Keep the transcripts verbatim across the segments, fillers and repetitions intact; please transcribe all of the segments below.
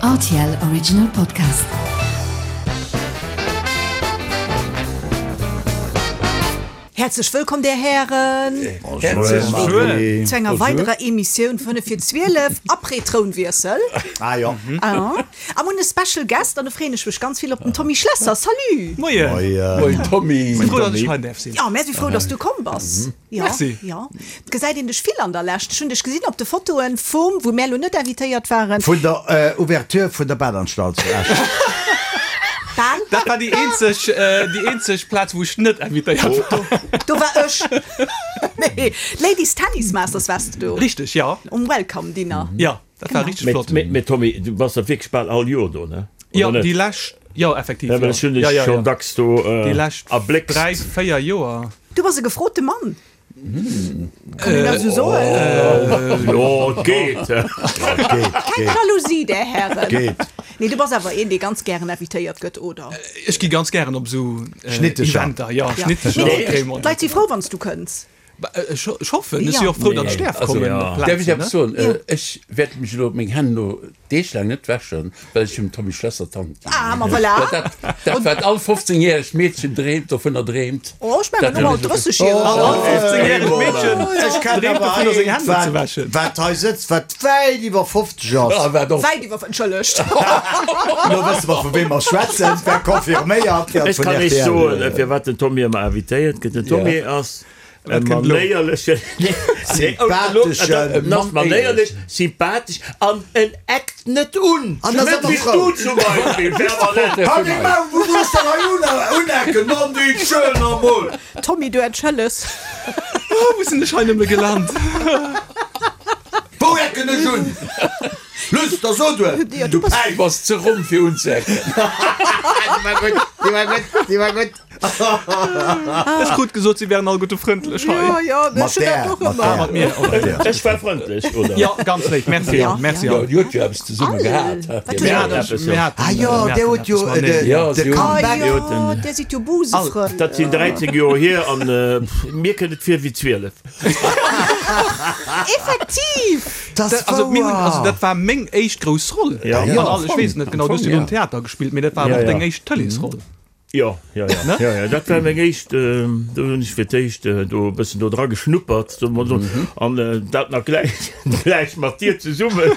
R T L Original Podcast. Häerzlech wëllkomm, där Hären, zu enger weiderer Emissioun Fënnef vir zwielef, après Trounwiessel. Ah jo. Ah. A mir hunn e Special Guest an do freeën ech mech ganz vill op den Tommy Schlesser. Salut! Moien! Moien Tommy! Si frou, datt ech hei däerf sinn. Jo, mär si frou, datt s du komm bass. Jo, Merci. Jo. Et gesäit een dech vill an der Lescht. Ech hunn dech gesinn op de Fotoen vum, wou mär elo net invitéiert waren. Vun der Ouverture vun der Badanstalt zu Esch. Bal. Dat war déi eenzeg, déi eenzeg Plaz, wou ech net invitéiert war. Do war ech. Nee, Ladies Tennis Masters waars de do. Richteg, jo. Um Welcome Dinner. Jo, dat war richteg flott. Mee, mee Tommy, du bass der wierklech bal all Joer do, ne? Jo, déi lescht, jo, effektiv. Ja, well ech hunn dech schonn dacks do Déi lescht erbléckst. dräi, véier Joer. Du bass e gefrote Mann. Kann een dat esou soen? Jo, et geet. Keng Jalousie, där Hären. Geet. Nee, du bass awer een, dee ganz gären invitéiert gëtt, oder? Ech gi ganz gären op esou Schnittecher. Eventer, jo, Ja. Schnittecher. Nee, Crémant. D'Leit si frou, wann s du kënns. Ech hoffen, ech si och frou, datt ech däerf kommen op Däerf ech Plazen, eppes ne? soen? Ech wäert mech elo meng Hänn elo deeglaang net wäschen, well ech dem Tommy Schlesser d'Hand ginn. Ah, ma voilà! Dat, dat wat all fofzéngjäregt Meedchen dreemt, dovunner dreemt. Oh, ech mengen och all drëssegjäregen. All fofzéngjäregt Meedchen Ech kenn dreemt awer dovunner, seng eent, Hänn net ze wat, wäschen. wat hei sëtzt, wat wäit iwwer fofzeg ass. Ah, wat och. Wäit iwwer, entschëllegt. Elo wësse mer, vu weem mer schwätzen. Et war confirméiert Ech vun kann iech R T L. soen, firwat den Tommy ëmmer invitéiert gëtt. Den Tommy ass e manéierlechen, Sympatheschen, manéierlech, sympathesch an en eckt net un. An ass Net ëmmer wéi frou. du zum Beispill, permanent. Halt deng Maul, wou muss der hei unecken, Mann, déi schön emol. Tommy, du entschëlles. Oh, wou sinn ech hei nëmme gelant? Wou ecken ech un? Luss, da so du et, Ja, du du bass- Päif. Du bass ze ronn fir unzeecken. Déi war gutt, déi war gutt, déi war gutt. Ech krut gesot, si wären alleguerte frëndlech hei. Jo, jo, ech hunn dat och ëmmer. Ah, mat mir, okay. Ech war frëndlech, oder? Jo, ganz léif. Merci, Ja. merci. Jo, Dir hutt jo eppes zesumme gehat. Wat Mir huet haten, mir haten, Ah jo, mir dir haten hutt jo eppes mateneen. de, Ja, de si hunn- Ah Comeback. jo, dir sidd jo Busefrënn. Dat sinn dräizéng Joer hier an mir kënnt et vir wéi zwielef. Effektiv! Dat ass Also, mir hunn, wouer. also dat war meng éischt grouss Roll. Ja. An Ja, all, ech weess net genau, du hues jo ja. um Theater gespillt, mee dat war Ja, awer och ja. deng éischt Tëleesroll. Jo, jo, jo. Ne? Jo, jo, dat war meng éischt, do hunn ech fir d'éischt do e bëssen do dra geschnuppert, soe mer esou, an dat nach gläich, gläich mat dir zesummen.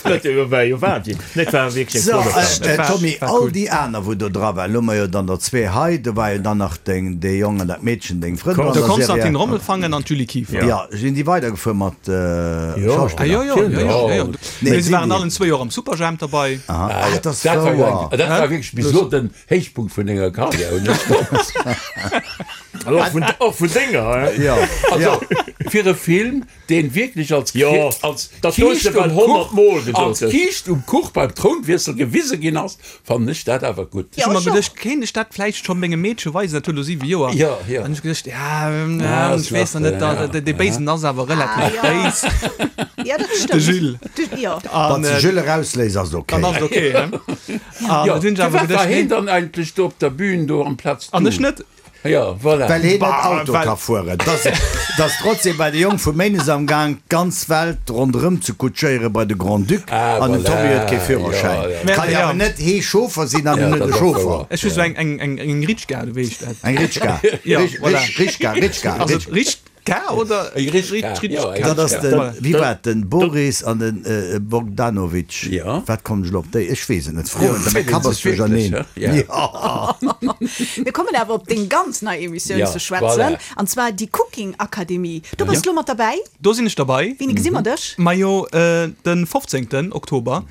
Dat war jo Wahnsinn. Nee, et war wierklech eng So, flott Erfahrung. äh, war- Tommy, war all cool. déi aner, wou do dra waren, elo hu mer jo dann der zwee hei, do war jo dann nach deng, dee Jong an dat Meedchen, deng Frënn an De der Serie. Konstantin Rommelfangen an d'Julie Kieffer. Ja, sinn déi weidergefuer mat äh, Jo. Ah, Schauspiller? jo, jo, jo, jo, jo. Nee, Mee sinn se waren déi- allen zwee Joer am Superjhemp derbei. Aha. Ah, dat ass Dat war jo wouer. eng, dat war wierklech bis elo den Héichpunkt vun denger Karriär, hunn ech fonnt. An och vun, och vun denger, hein? Ja, Also, ja. fir e Film, deen wierklech als, Jo, als dat hues de Kiischt bal um honnert Kuch, Mol gesot als hues. Kiischt um Kuch beim Trounwiessel gewise ginn ass, fannen ech dat awer gutt. Ech hu Ja, mer ech och. geduecht, kéint ech dat vläicht scho mengem Meedche weisen, dat huet elo siwe Joer. Ja, ja. An ech geduecht, ja, ähm, Ja, ech weess nach net, da, ja, dee Béisen ass awer relativ Ah, ja. béis. Ja, dat stëmmt. De Jules. De, ja. An, Wann äh, de Jules erausléist, ass et okay. Dann ass et okay, ne? An Ja, da hunn ech awer firwat war geduecht, heen nee. dann eigentlech do op der Bühn do amplaz An du? ech net. Ja, voilà. Well heen net Bah, Auto well- ka fueren. Dass, dass trotzdem bei de Jong vu Méines am Gaang d'ganz Welt ronderëm ze kutschéiere bei de Grand-Duc Ah, an den voilà. Tommy huet kee Führerschäin. Ja, ja. Mä- Kann jo ja. awer net hee Chauffer sinn an Ja, en net dat e ass Chauffer. wouer. Ech hu sou eng, eng, eng, eng Ritschka, du weess dat. Eng Ritschka. Ja, Rich- voilà. Rich- Ritschka, Ritschka, Also Ritsch- Ritschka oder Eng Ritschka, Ritsch- ja, eng Dat ass den, Voilà. wéi war et, den Boris an den äh, Bogdanovic. Ja. Wat kommen ech elo op déi? Ech weess et net. Froen, Ja, mäi Kapp ass duercherneen. wirklich, ja? Ja. Mir kommen awer op deng ganz nei Emissioun Ja, ze schwätzen, voilà. an zwar déi Cooking Akademie. Do bass du elo mat derbäi. Do sinn ech derbäi. Wéini gesi mer dech? Majo, äh, den fofzéngten Oktober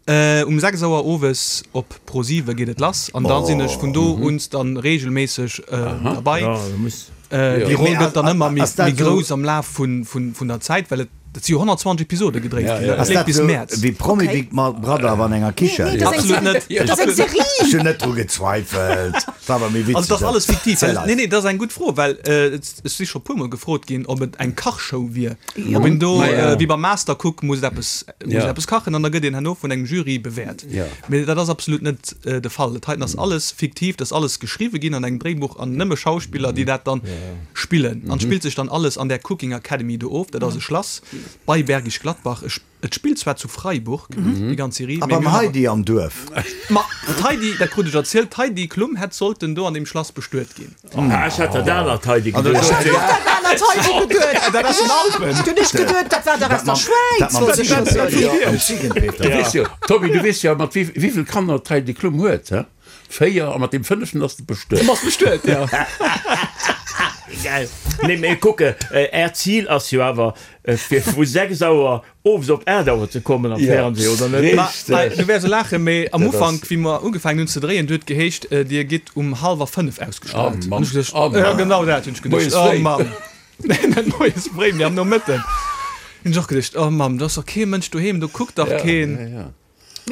äh, um sechs Auer owes op ProSiwe geet et lass. An dann sinn ech vun do un dann regelméisseg äh, derbäi. Ja, du muss. Äh, déi Roll Mee gëtt dann ass- ëmmer méi, ass dat méi sou- grouss am Laf vun, vun, vun der Zäit, well et dat si jo honnertzwanzeg Episode gedréit Ja, ginn. ja. Dat Ass leeft dat bis sou Mäerz. wéi Promi Okay. Big Brother awer an enger Kichen? Nee, nee, dat ass eng Absolut net. Dat ass eng Serie. Ech hunn net dru gezweifelt. War awer méi witzeg. Also dat ass alles fiktiv. Erzähl Well, eis. nee, nee, dat ass eng gutt Fro, well äh, et ech si scho puermol gefrot ginn, ob et eng Kachshow wier. Ob een do, Ma ja. äh, wéi beim Mastercook, muss eppes, muss Ja. eppes kachen an da gëtt een herno vun engem Jury bewäert. Ja. Mee dat ass absolut net äh, de Fall. Dat heiten ass alles fiktiv, dat ass alles geschriwwe ginn an engem Dréibuch an nëmme Schauspiller, déi dat dann spillen. An spillt sech dann alles an der Cooking Academy do of. Dat ass e Schlass bei Bergisch Gladbach. Ech Et spillt zwar zu Freiburg, déi ganz Serie, A mee beim mir hunn awer. Heidi am Duerf. Ma d'Heidi, dat krut ech erzielt, d'Heidi Klum hätt sollten do an deem Schlass bestuet ginn. Ah, ech hat dat anert Heidi An da geduecht. sot si. Ech hat och dat anert Heidi geduet. Dat aus den Alpen. Du hunn ech geduet, dat war der aus der Schwäiz, Dat mam wollt ech scho Ziegenpeter. soen. Jo, am Ziegenpeter. Du weess jo, Tommy, du weess jo, mat wéi vill Kanner d'Heidi Klum huet, he? Véier, a mat deem fënneften ass de bestuet. Bass bestuet, ja. Geil. Nee, mee kucke, Äert Zil ass jo awer, fir vu sechs Auer owes op aacht Auer ze kommen am Fernseh, oder net? Ma, du wäers laachen, mee am Dat ass- Ufank, wéi mer ugefaangen hunn ze dréien, du huet geheescht, Dir gitt um hallwer fënnef ausgestraalt. Oh Mann. An ech geduecht, Oh Mann. ja, genau dat hunn ech geduecht. Moies Oh fréi. Mann. Nee, net moies fréi, mee am Nomëtten. Hunn ech och geduecht, oh Mamm, do ass doch kee Mënsch doheem, do kuckt dach keen. Ja, ja.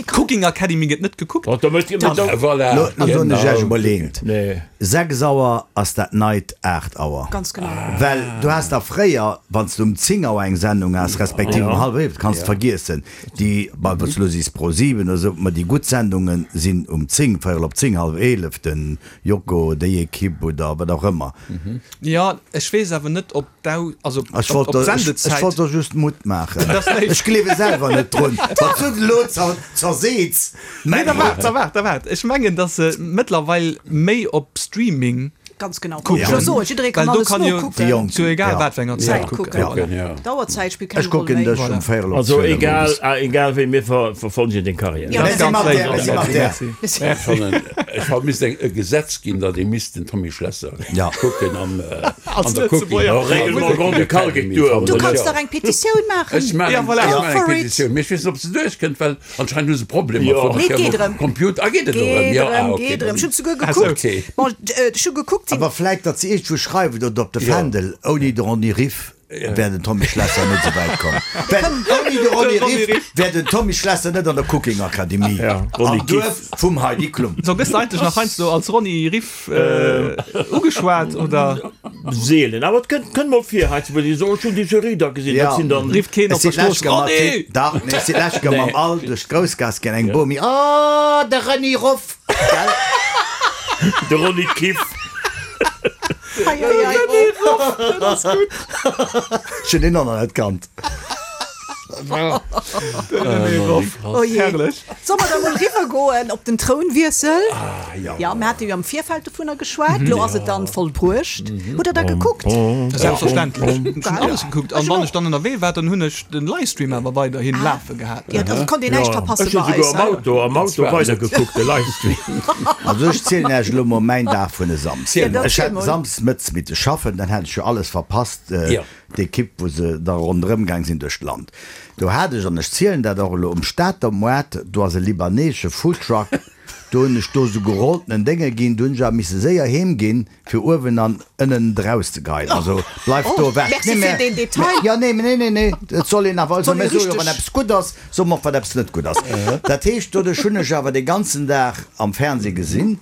Cooking Academy gëtt net gekuckt. Oh, da mësst Dir Ah, Voilà. Lo lo soen ech Genau. Iech emol eent. Nee. Sechs Auer ass dat neit aacht Auer. Ganz genau. Well du has da fréier, wann s du um zéng Auer eng Sendung has, respektiv um hallwer eelef, kanns de vergiessen, déi, bon, wann s du elo sees Pro siwen oder esou, ma déi gutt Sendunge sinn um zéng, véierel op zéng, hallef eelef, den Joko, déi Ekipp oder wat och ëmmer. Jo, ech weess awer net, ob d'Au, also Ech ob wollt ob der, ech, ech d'Sendezäit. wollt der just Mutt maachen. Dat ass léif. Ech gleewe selwer net drun. Wat du elo zer, zerseets. Nee, da waart, da waart, da waart. Ech mengen, datt se mëttlerweil méi op Streaming Ganz genau. kucken. Ech soen, jidderee kann Well do alles kann jo nokucken. Déi Jonk. zu egal Ja. wat fir enger Zäit Zäit kucken. kucken. Kucken, ja. D'Auerzäit spillt keng Ech Roll kucken méi. dech Voilà. um véierel op Also zwielef egal, owes. ah, egal wéi, mir ver, verfolgen deng Karriär. Ja, Merci Ganz mat léif. där, merci mat där. Merci. Ech fannen, ech fannen, misst eng, e Gesetz ginn, datt ee misst den Tommy Schlesser Ja. kucken am, äh, an der Cooking. Lëtzebuerger. Ja, Règlement grand-ducal geet duer. Du kanns Ja. dach eng Petitioun maachen. Ech maachen Ja, voilà. ech Go maachen eng for it. Petitioun. Mee ech weess net, ob se duerchkënnt, well anscheinend hu se Problemer. Ja. vun Nee, der geet erëm. Computer. Ah, geet et erëm? Geet Ja, erëm, ah, okay. geet erëm. Ech hunn souguer Ah, gekuckt. okay. Bon, ech hu gekuckt, Awer vläit, datt se iergendwou schreiwen oder op de Ja. Fändel, ouni de Ronny Riff wär den Tommy Schlesser net esou wäit komm. Well ouni de Ronny Riff wär den Tommy Schlesser net an der Cooking Akademie Ja, Ronny am Duerf vum Heidi Klum. So, gëss de eigentlech nach heiansdo als Ronny Riff ugeschwat, oder? Seelen, awer et kënnt, kënnt mol vir heiansdo, wou déi soen, ech hunn déi Serie da gesinn, Ja. dat sinn dann. Rifft keen Ech op der sinn Strooss, lech mat Ronny! Dach, nee, ech sinn lech mam All duerch d'Groussgaass gaang, eng Bomi, Oh, de Ronny Ruff! Gell? De Ronny Kiff. Hei, hei, hei. Ech hunn deen och nach net kannt. Oh je. Herrlech. Soll mer da mol riwwer goen op den Trounwiessel? Ah, ja. Ja, mir hate jo am Virfeld dovunner geschwat. Lo ass et dann vollbruecht. Hutt der da gekuckt? Selbstverständlech. Ech hunn alles gekuckt. An wann och. ech dann ënnerwee war, dann hunn ech den Livestream awer weiderhin lafe gehat. Ja, also konnt een näischt verpasse Ech hunn bei souguer eis. am Auto, am Auto weidergekuckt, de Livestream. Also ech zielen Iech elo mol mäin Dag vun e Samsden. Ja, Ech ziel hat mol. Samsdes mëttes mitte schaffen, dann hat ech jo alles verpasst, Ja. d'Ekipp, wou se da ronderëm gaang sinn duerch d'Land. Do hat ech, an ech zielen dat och elo, um Stater Moart, do ass e libanesesche Foodtruck, do hunn ech do sou gerolltenen Dénge ginn, do hunn ech awer misse séier heem ginn, fir uewen an ënnen erauszegeien. Also bleift do Oh, ewech. merci Nee, fir mä- deen Detail. Ja, nee, nee, nee, nee, et soll een awer, also Soll ee mir soe jo, richteg- wann eppes gutt ass, soe mer och, wat eppes net gutt ass. Dat heescht, doduerch hunn ech awer de ganzen Dag am Fernseh gesinn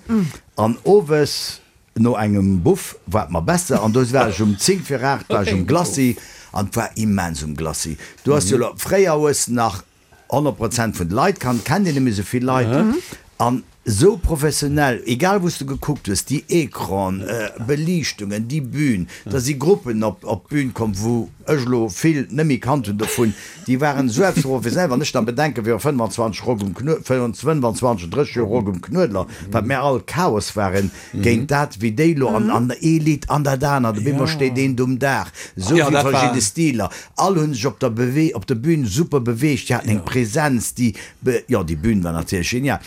an owes no engem Buff war et mer besser an do war ech um zéng vir aacht war ech um Glacis an et war immens um Glacis. Du has jo lo, fréier hues nach honnert Prozent vun de Leit kannt, kennt een net méi esou vill Leit an esou professionell, egal wou s du gekuckt hues, déi Ecranen, Beliichtungen, déi Bühn, da si Gruppen op op d'Bühn komm, wou ech elo vill net méi kannt hunn dovun, déi waren esou eppes professionell, wann ech dann bedenken, viru fënnwanzwanzeg Rock um Knuedler, fënnwanzwanzeg, drësseg Joer Rock um Knuedler, wat mär all Chaos waren géint dat, wéi déi elo an an ee Lidd an dat anert, op eemol steet een do um Daach, esou Ja, vill dat war. verschidde Stiler, all hunn sech op der Bewe op der Bühn super beweegt, déi haten eng Präsenz, déi be jo, déi Bühn war natierlech genial.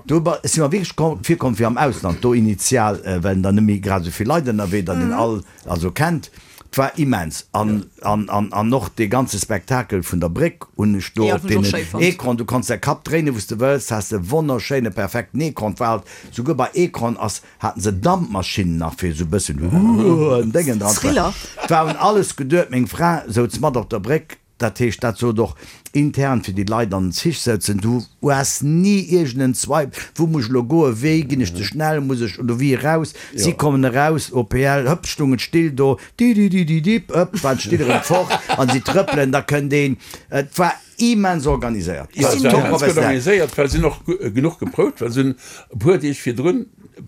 Do ba si mer wierklech komm virkomm wéi am Ausland, do initial, well dann net méi grad esou vill Leit ënnerwee, datt een all also kennt. 't war immens an an an an och dee ganze Spektakel vun der Bréck hunn ech do Ja, op dat hunn ech och deenen schéi fonnt. Ecran, du konns däi Kapp dréinen wou s de wëlls, has e wonnerschéine perfekten Ecran, 't war halt souguer bei Ecran ass haten se Dampmaschinnen nach fir esou bëssen huuh en Déngen dran ze Thriller. 't war un alles geduet, meng Fra souz mat op der Bréck. Dat heescht, dat sot och intern fir déi Leit an den Zich sëtzen, du hues ni iergend en Zweifel, wou muss ech elo goen, wéi ginn ech ze schnell, muss ech oder wéi eraus. Si kommen eraus, O P L, hëpp, stungen still do, di-di-di-di-dip, hëpp, waren d'Still erëm fort an si trëppelen, da kënnt een. Et war immens organiséiert. Jo, et war Top immens gutt professionell. organiséiert, well si hunn och genuch geprouft, well si hunn e puer Deeg virdrun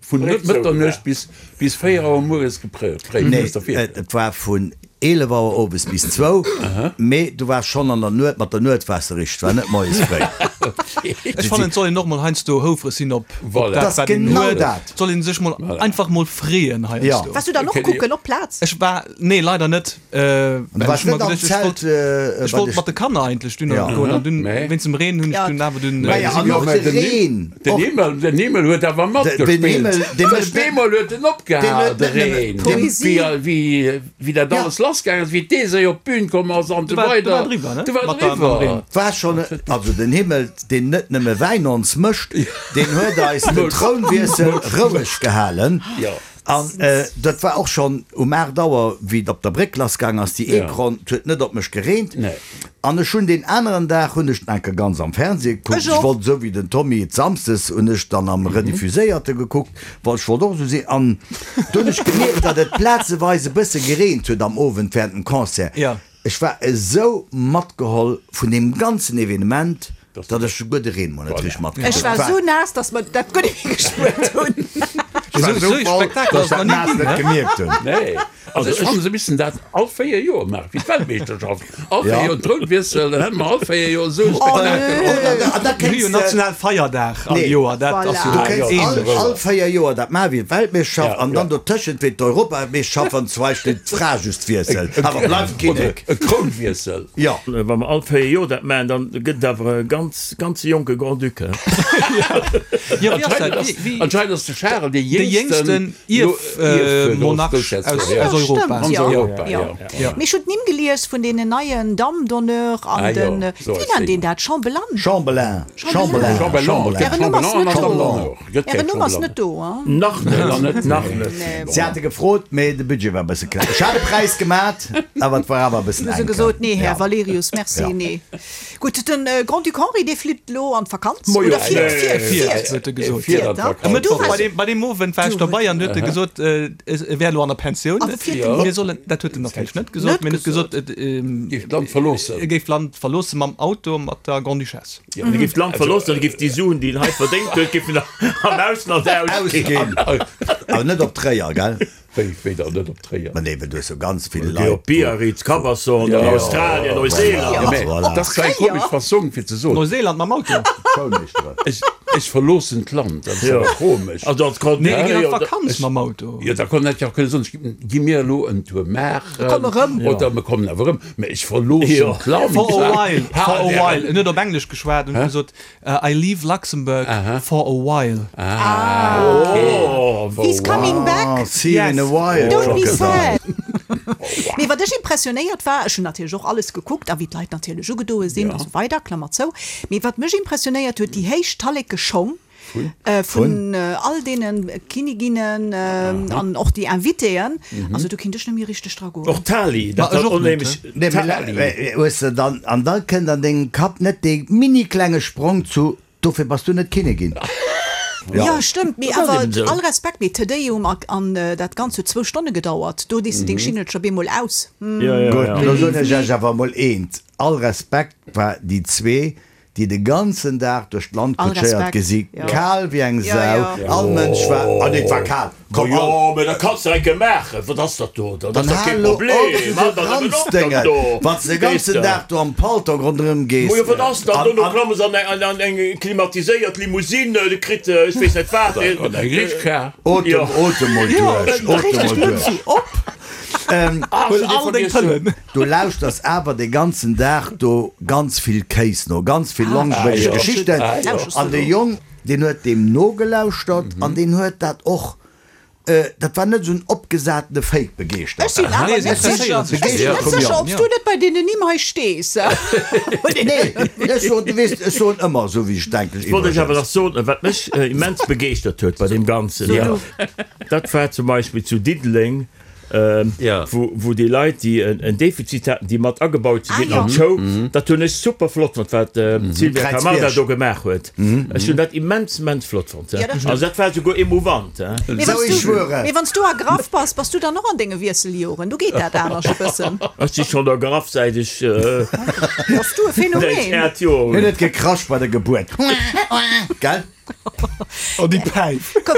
vun Bréck Mëtternuecht zougemaach. bis bis véier Auer mueres geprouft. Nee, et war vun eelef Auer owes bis zwou, mee du waars schonn an der Nuet mat der Nuet waars de richteg, war net moies fréi. Ech fannen et soll een och mol heiansdo houfreg sinn op Voilà. dat Dat ass wat een genau huet. dat. Et soll een sech mol einfach mol freeën heiansdo. Waars du dann och kucken op d'Plaz? Ech war, nee leider net, Du well waars ech hu mer net am geduecht ech Zelt wollt, bei ech wollt de mat de Kanner eigentlech dunn Ja. goen an dunn Mee. wéinst dem Reen hunn ech Ja. dunn awer dunn Maja, an Jo, och mä de den Reen. Den Och Himmel, den Himmel huet awer den matgespillt. Himmel, dee Well mécht net- bemol huet en opgehal, deen de huet net nëmmen- Reen. Poesie. Wéi, wéi, wéi dat Ja. alles lassgaangen ass, wéi d'Esei op d'Bün komm ass an Du esou war, du weider. war driwwer, ne? Du war Mat der, mam driwwer. Reen. war schonn, also den Himmel, deen net nëmme Wäin ons mëscht, deen huet eis den Trounwiessel roueg gehalen. Ja. An dat war och schonn um aacht Auer, wéi et op der Bréck lassgaang ass, déi Ja. Eekronn, et huet net op mech gereent. Nee. An ech hunn deen aneren Dag hunn ech den enke ganz am Fernseh gekuckt. Ech Ech och. wollt esou wéi den Tommy et samsdes hunn ech dann am Rediffuséierte gekuckt, well ech wollt och esou sinn. An do hunn ech gemierkt, datt et plazeweis e bësse gereent huet am Owend während dem Concert. Ja. Ech war esou matgeholl vun deem ganzen Evenement, datt ech souguer de Reen mol net richteg matkritt Ech hunn. war esou naass, datt mer dat guer net méi gespuert hunn. Ech war Esou esou e voll, Spektakel datt ass ech dat nach ni Naass ginn, net ne? gemierkt hunn. Nee. Also ech fannen, se missten dat all véier Joer maachen, wéi d'Weltmeeschterschaft. All véier Ja. Joer Trounwiessel, dann hätte mer all véier Joer esou e Spektakel. An da Mir hu jo kéints de, national Feierdag all Nee. Joer, dat ass jo Voilà. du kéints all, ähnlech. all véier Joer dat maachen wéi d'Weltmeeschterschaft Ja, an dann ja. dotëschent wéi d'Europameeschterschaft an zum Beispill d'Fra just wiesselt. Awer bleift Kinnek. E Krounwiessel. Ja. Wa mer all véier Joer dat maachen, dann gëtt et awer e ganz, ganz jonke Grand-Duc. Ja, wéi ass dat? Anscheinend ass, Wéi, wéi, anscheinend ass de Charel dee de jéngsten jéngsten Ierfmonarch aus, ja. aus Europa. Ganz Ja. Europa, Ja. ja. Ja. Mee ech hunn d'Nimm gelies vun deenen neien Dames d'honneur an Ah, jo. den, So wéi ass nennt déi. een dat? Chambellan? Chambellan. Chambellan. Chambellan. Chambellan. Ären Numm ass net do. Chambellan. Gëtt Ären keng Numm ass Chambellan. net do, hein? Nach net, Nach net. nach net. Nee, Si hate gefrot, mee de Budget war e bësse kleng. Ech hat e Präis gemat, awer et war awer e bëssen Hu se enk. gesot, nee, Här Ja. Valerius, merci, Ja. nee. Gutt, den Grand-Duc Henri, dee flitt elo an d'Vakanz, Mo jo, oder fiert, nee. fiert, Fiert, fiert. huet e gesot. Fiert an Fiert, d'Vakanz. E Mëttwoch, Du bei deem, bei deem Owend war ech Du dobei an huet e gesot, äh, e wär elo an der Pensioun. Awer fiert Ja. Mir sollen, dat huet en natierlech net gesot, Net mee huet gesot, et, ähm, Géif d'Land verloossen. E géif d'Land verloosse mam Auto mat der Grande-Duchesse. Ja. E géif d'Land verloossen, e géif déi Suen, déi en hei verdéngt huet, géif en am Ausland ausginn. Ausginn. Awer net op Tréier, gell? Wéi, wéi dann net op Tréier? Ma nee, well du hues jo ganz vill Geh Leit. op Biarritz, Cabasson, Ja. Australien, Neuseeland. Ja, mä Voilà. dat ass eng komesch Fassong fir ze soen. Neuseeland mam Auto? Schoulmeeschteren. Ech, ech verloossen d'Land, dat ass Ja. awer komesch. Also als Grand Nee, e geet an Duc, d'Vakanz mam Auto. Jo, da konnt hätt jo och kënne soen, ech gi mir elo en Tour maachen. Komme rëm. Oder mir kommen awer rëm. Mä ech verloossen Ja. d'Land. For a while, for a Ha, while. En huet op Englesch geschwat und gesot, I leave Luxembourg for a while. Ah, okay. Oh, He's coming back. Ah, see you in a Yes. while. Don't be Crocodile. sad. Mee wat ech impressionéiert war, ech hunn natierlech och alles gekuckt a wéi d'Leit natierlech ugedoe sinn a sou weider, Klammer zou. Mee wat mech impressionéiert huet, déi héich Talleke Schong vun all deene Kinniginnen an och déi Invitéen. Also do kinnt ech net méi richteg dra goen. Och Tali, dat Ma ech hat och net, onheemlech. Nee, mee Tali. hues de dann, an da kënnt an dengem Kapp net dee mini klenge Sprong zu, dofir bass du net Kinnigin. Ja, stëmmt, mee Dat ass awer eben esou. all Respekt, mee Te Deum a an dat Ganzt huet zwou Stonne gedauert, do dees de deng Schingelcher bemol aus. Ja, ja, Gutt, ja. lo soen ech iech awer mol eent, all Respekt war déi zwee, déi de ganzen Dag duerch d'Land All kutschéiert Respekt, gesi, ja. kal wéi eng Ja, Sau, ja. all Mënsch war, ah nee, et war kal, Komm, komm, all, jo, mee dat kanns de enke maachen. Wat ass dat do? Dat dann ass doch hal kee lo op, Problem. esou Mann, dat ass awer Ranzdéngen, do. wann s de de ganzen Weess de. Dag do am Paltong ronderëm gees. Mo jo, wat ass dat? An, Dono an, klamme se an eng, an eng klimatiséiert Limousine, de kritt, ech weess net wat. An eng Richtschar. Otem, Ja. otem mol duerch, otem mol duerch. Op! Ähm, Huel all deng Pëllen. Du lauschters awer de ganzen Dag do ganz vill Kéis no, ganz vill langweileg Ah, ja. Geschichten. Ah, ja. An de Jong, deen huet deem nogelauschtert an deen huet dat och, dat war net esou en opgesatene Fake begeeschtert. Ech sinn awer Nee, net se sécher, interesséieren sech ech sinn dofir. net sécher, ob s du net bei deenen Nimm hei stees. Nee, ech soen, du weess, ech soen ëmmer esou, wéi ech denken. Ech wollt iech awer nach soen, wat mech immens begeeschtert huet bei deem Ganzen, So du. dat war zum Beispill zu Diddeleng, Ja. wou, wou déi Leit, déi en, en Defizit haten, déi mat agebaut si Ah, ginn ja. an d'Show, dat hunn ech super flott fonnt, wat d'Sylvia Kräizbierg. Camarda do gemaach huet. Ech hunn dat immens, immens flott fonnt. Ja, dat stimmt. Also dat war souguer emouvant. Mee Sou, wanns ech du, schwöre. mee wanns du Agraff bass, bass du dann och an denge Wiesseljoren? Du geet dat anescht e bëssen. Ech si schonn Agraff säit ech, äh, Bass du e säit ech Phänomen? aacht Joer Huet hunn. et gekrasch bei der Gebuert. Gell? Oh, déi Päif. Komm.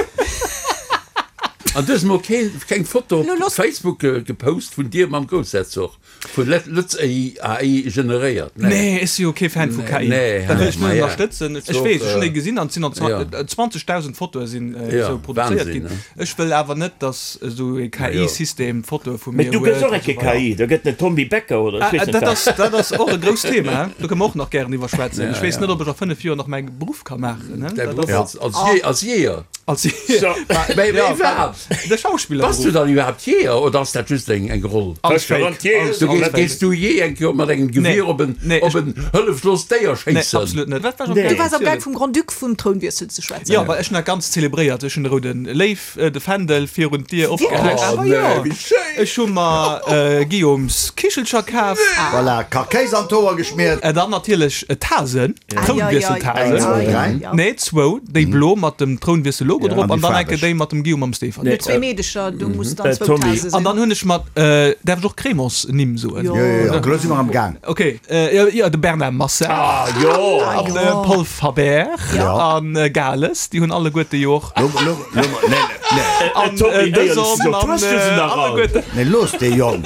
An du hues mol keen, keng Foto Lo op looss. Facebook gepost vun dir mam Groussherzog, vun Lëtz A I generéiert? Nee, nee, ech si jo kee Fan vu Nee, K I. nee, Dat wëll ech ma net ja. ënnerstëtzen. Ech Doch, weess, ech hunn äh, déi gesinn an et sinn an ja. zwanzegdausend Fotoe sinn äh, Ja, esou produzéiert Wahnsinn, ginn. ne? Ech wëll awer net, dass esou e Ja. K I-System Fotoe vu Mee mir du gëss huet och an eng esou weider. K I, da gëtt en Tommy Becker oder ech Ah, weess net dat wat. ass, dat ass och e grousst Thema. Do kënne mer och nach gären iwwer schwätzen. Ja, Ech weess ja. net, ob ech a fënnef Joer nach mäi Beruff ka maachen, ne? Däi Dat Beruff ass als, als, Jé, als Jeeër? als So. Mee, mee Ja, wat? de Schauspillerberuff. Bass du dann iwwerhaapt Jeeër oder ass dat just eng, eng Roll? Alles fake. Garantiert. Alles, Du alles gees, fake. gees du jee eng Kéier mat engem Nee. Gewier op en, Nee, op ech- en hëlleflost Déier Nee, schéissen? absolut net. Wat war Nee. Du waars am Gaang vum Grand-Duc vum Trounwiessel ze schwätzen. Ja, well ech hunn dat ganz zelebréiert. Ech hunn de roude Léiw, de Fändel virun d'Dier opgehänkt. Oh, Awer nee, jo. wéi schéin! Ech hu mer äh, Guillaumes Kichelcher kaf. Voilà, Karkéis an d'Hoer geschmiert. Äh, dann natierlech äh, Tasen, Trounwiesseltasen. Eng, zwou, dräi. Ja. Nee, zwou, déi blo mat dem Trounwiessel-Logo drop An déi an dann enke faarweg. déi mat dem Guillaume am Stéphanie. Nur zwee Meedecher, du muss dann Äh, zwou Tommy. Tase An sinn. dann hunn ech mat, äh, däerf ech och Crémants-Nimm soen? Jo. Jo, jo, jo, elo si mer am Gaang. Okay, äh, ja, ja, de Bernard Massard. Ah, jo. An de jo. Paul Faber Ja. an äh, Gales, déi hunn alleguerte jo och. Lo, lo, lo, nee, nee, An Tommy, äh, éierlech dësem gesot, an hues du se äh, nach all? alleguerte. nee, looss dee Jong.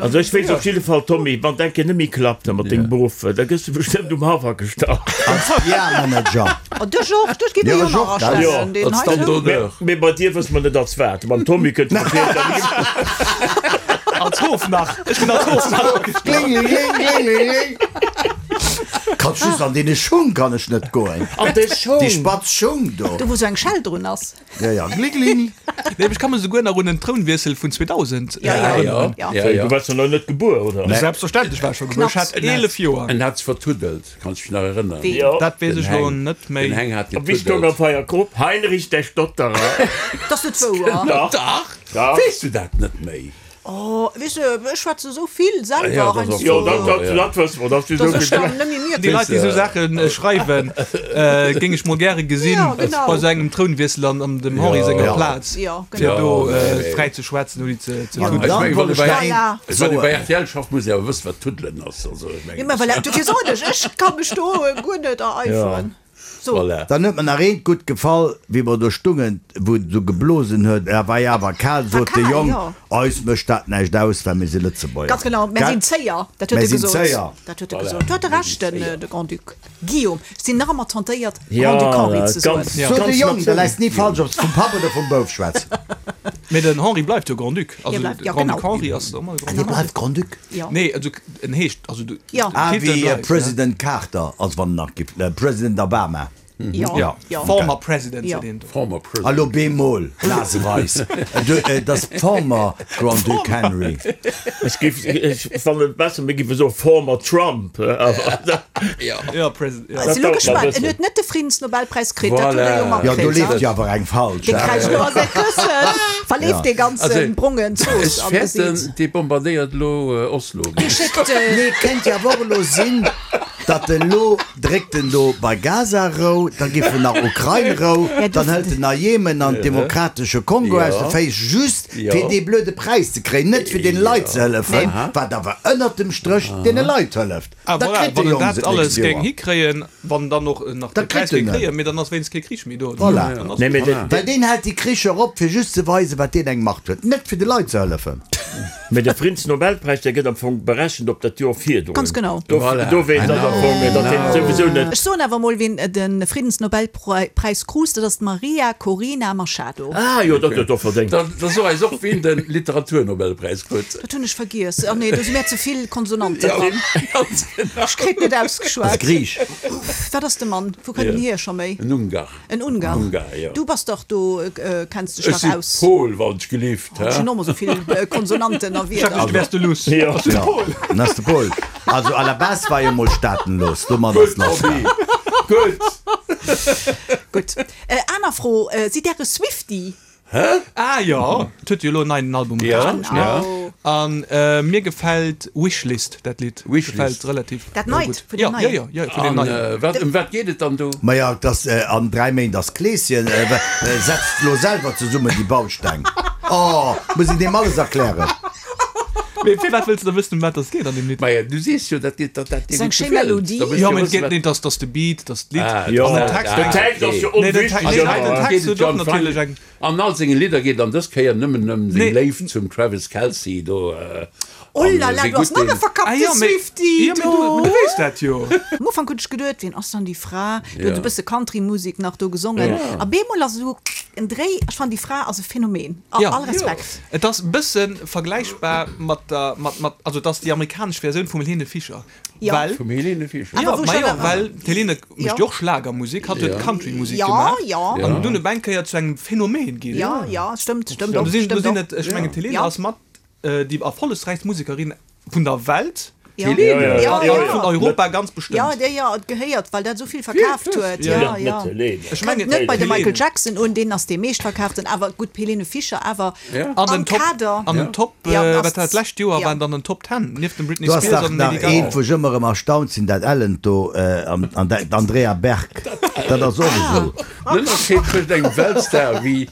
Also ech weess op jidde Fall, Tommy, wann dat net méi klappt mat dengem Beruff, da gëss du bestëmmt um Haff agestallt. Als P R-Manager. Oh, de Georges, dech gi mir Ja, jo nach Georges, astellen. ja. Den Als hei Stand sou. d'honneur. Mee bei dir wësse mer net als wat. Mam Tommy kënnt Als Hofnarr. Ech ginn als Hofnarr agestallt. Kling, kling, kling, kling. Kann just an deene Schung kann ech net goen. An de Schung. Déi spatz Schung do. Do wou sou eng Schell drun ass. Ja, ja, gling, gling. Nee, ech ka mech souguer nach un den Trounwiessel vun zweedausend Ja, ja. erënneren. Ja. Ja, ja. Du waars jo nach net gebuer, oder? Nee. Selbstverständlech war ech scho gebuer. Ech hat En hat- eelef Joer. En hat vertuddelt, kanns du dech nach erënneren? Ween? Jo. Dat weess Den ech lo Heng. net méi. Den Heng hat A wéi stoung getuddelt. op eier Grupp? Heinrich der Stotterer. Dat ass net wouer. Dach. Dach. Dach. Weess du dat net méi? Oh, weess du, ech schwätze sou vill selwer Ja, dat ass heiansdo. Jo, dat, dat, dat wësse mer, dass du Dass sou ech vill. dann net méi mierken. Déi Leit, déi sou Saache schreiwen, géing ech mol gäre gesinn Ja, genau. bei sou engem Trounwiessel an an dem Henri senger Ja. Plaz, Ja, fir genau. do Ja, nee. fräi ze schwätzen ouni ze ze An tuddelen. Ech dann mengen, wollt wann du ech bei nach Voilà. eent Wann du bei soen. R T L schafft, muss ee awer wëssen, wat tuddelen ass. Also, ech mengen, Ja, mä voilà, dofir sot ech, ech ka mech do guer net ereiferen. So. Voilà. Dann huet mir nach eent gutt gefall, wéi mer do stungen, wou et sou geblosen huet, et war jo awer kal, sot de kal, Jong, jo. eis mécht dat näischt aus, well mir si Lëtzebuerger. Ganz genau, mär Gell? sinn Zéier, dat huet Mär e sinn gesot. Zéier. Dat huet e Voilà. gesot. Do huet e Mär Recht, sinn den, Zéier. de Grand-Duc Guillaume. Ech sinn nach ëmmer tentéiert, Ja, Grand-Duc Henri ze soen. ganz, Ja. Sot de ganz Jong, da natierlech. läis ni falsch, ob s vum Papp oder vum Bouf schwätz. Mee den Henri bleift jo Grand-Duc. Also Hie bleift, de ja, Grand-Duc genau. Henri ass ëmmer de Dee Grand-Duc. bleift Grand-Duc? Ja. Nee, also en heescht, also de Ja. Ah, Titel wéi bleift, President Carter, als wann en nach gibt, President Obama. Ja. Ja. Ja. Former President Ja. seet een do. Former President. Hallo bemol, Naseweis. Et ass former Grand-Duc Henry. Ech géif, ech fannen et besser, mir géife soe former Trump. Awer Ja. Ja, President, ja. Ech si lo dauert nach gespannt. bëssen. En huet net de Friedensnobelpräis kritt, dat huet e jo Voilà. Ja, do matkritt, leeft ha? jo awer eng falsch. Dee kräischt lo a säi Këssen, verleeft Ja. dee ganze Also, brongen Zooss Ech am fäerten, Gesiit. dee bombardéiert lo Oslo. Dee schéckt, äh, Nee, kéint jo awer och elo sinn, datt en lo dréckt en do bei Gaza rou, da giff en nach Ukrain rou, Ja, du- dann hëlt en nach Jemen an Demokratesche Kongo aus de Féiss, just Ja. fir dee blöde Präis ze kréien, net fir den Leit ze hëllefen, wat awer ënnert dem Stréch deene Leit hëlleft. Ah, Da voilà, kritt de wann en Jong dat se alles d'nächst géing Joer. hikréien, wann dann och nach Da de Präis kritt en géing en. kréien, mee dann ass wéinst kee Krich méi do. Voilà. Dann ass Nee, mee voilà. de, Well deen hält déi Kricher op, fir just ze weisen, wat deen eng Macht huet, net fir de Leit ze hëllefen. Mee de Friedensnobelpräis, dee gëtt am Fong berechent op dat Joer virdrun. Ganz genau. Do, Voilà. do weess dat am Fong, datt deen souwisou net. Ech soen awer mol, wien de Friedensnobelpräis krut, dat ass d'Maria Corina Machado. Ah jo, dat huet och verdéngt. Da, da so eis och, wien de Literaturnobelpräis krut. Dat hunn ech vergiess. Oh nee, do si mir ze vill Konsonanten Ja, dran. ganz genau. Ech kritt net ausgeschwat. Ass Griich. Wat ass de Mann? Wou kënnt en Ja. hier scho méi? En Ungar. En Ungar. Ungar, ja. Du bass dach do, äh, kenns dech Ech dach si aus. Pol, wann ech gelift, Ech hä? hunn och mol sou vill Konsonanten a Ech dacht, Wierder. du wäers de Luss. Ja. Ass de Ja, Pol. en ass de Pol. Also à la base war jo mol staatenlos. Domat ass Gutt, lass. Roby. Gutt. Gutt. Äh, aner Fro, äh, sidd Där e Swiftie? Hä? Ah jo, et huet jo elo en neien Album Ja, erausbruecht, ne? ja. An äh, mir gefält Wishlist, dat Lidd. Wishlist. Gefält relativ Dat äh, neit, gutt. vun Ja, dem ja, neien. ja, ja, vun dem An, neien. äh, wat, ëm wat geet et dann do? Maja, dass äh, an dräi Méint ass Kleeschen, äh, äh, setzt lo selwer zesummen déi Bausteng. Oh, muss een deem alles erklären? Mee firwat wëlls de da wëssen, ëm wat dass geet an deem Lidd? Maja, du sees jo, dat dat dat dir Ass eng gutt schéi gefält. Melodie. Da wëlls Jo, du mee et wëssen, geet wat. net, dass dass de Beat, dass d'Lidd Ah, Jo, an den ah, Text den eng. Text ass jo Nee, den onwichtig, Text, nee, ëmmer, den hein. Text Geet et huet jo och am natierlech Frank eng. An all senge Lidder geet an dës Kéier nëmmen ëm seng Nee. Léift zum Travis Kelce do. Oh An la la, wéi du ass gutt nach e deen. Ah verkappte jo, mee, Swiftie jo, mee du, do. du weess dat jo. Am Ufank hunn ech geduet, wien ass dann déi Fra? Du huet Ja. e bësse Country-Musek nach do gesongen. Ja. A bemol ass esou en Dréi. Ech fannen, déi Fra ass e Phänomen. A Ja. all Respekt. Et ass e bësse vergläichbar mat der, mat, mat, also et ass déi amerikanesch Versioun vum Helene Fischer. Ja. Well, Vum Helene Fischer. Awer ja, wou ma schon jo, awer- well d'Helene Ja. mécht jo och Schlagermusek, hatt huet Ja. Countrymusek Ja, gemaach. ja. An dunn op eng Kéier zu engem Phänomen ginn. Ja, ja, stëmmt, stëmmt An och, do sinn, do stëmmt sinn och. et, ech mengen, d'Helene Ja. ass mat déi erfollegräichst Musekerin vun der Welt. Ja. Helene? Ja, Ja, ja, ja. Vun Europa ganz bestëmmt. Ja, der ja et gehéiert, well dat souvill verkaaft huet. Ja. Ja, Net ja. Helene. Ech mengen, Net bei de Helene. Michael Jackson un, deen ass dee meeschtverkaaften, awer gutt d'Helene Fischer awer Ja. An am den Top, Kader. an den Top, Ja, äh, ass- wat dat lescht Joer ja. waren dann den Top Ten nieft dem Britney Du ass Spears dach an nach Lady Gaga. eent, wou ech ëmmer erëm erstaunt sinn, dat Ellent do, äh, an, an dat d'Andrea Berg. Dat ass och esou. Den Ënnerscheed tëscht engem Weltstar wéi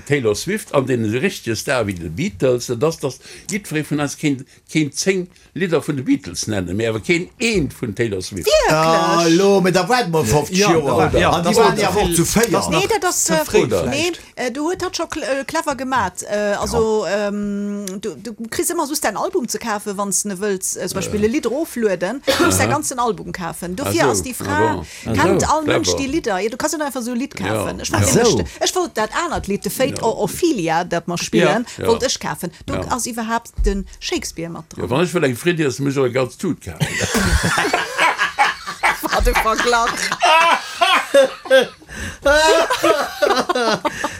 Taylor Swift an deene richtege Star wéi de Beatles, dat ass, datt jiddweree vun eis kéint kéint zéng Lidder vun de Beatles nennen, mee awer keen eent vun Taylor Swift. Ah, Wierklech? elo, mee da waarde mer fofzeg Ja, Joer. da war- ja, An déi dat waren war jo awer och ze zu vill. véier. Dat ass Nee, dat ass Ze fréi äh, nee, vläicht. äh, du huet hatt scho clever gemat. Äh, also ähm, du, du kriss ëmmer soss däin Album ze kafen, wann s de wëlls äh, zum Beispill e Lidd eroflueden, du muss däi ganzen Album kafen. Dofir Ah ass sou, déi ah Fra, bon. Ah kennt sou, all Mënsch clever. déi Lidder. Ja, du kanns jo net einfach sou e Lidd kafen. Ja. Ech wollt Ah nämlech sou. de, ech wollt dat anert Lidd, The Fate of Ophelia, dat mer spillen, Ja. wollt ech kafen. Do Ja. ass iwwerhaapt de Shakespeare mat Ja, dran. wann ech wëll eng Fritt iessen, muss ech och eng ganz Tut kafen. Wat e Verglach.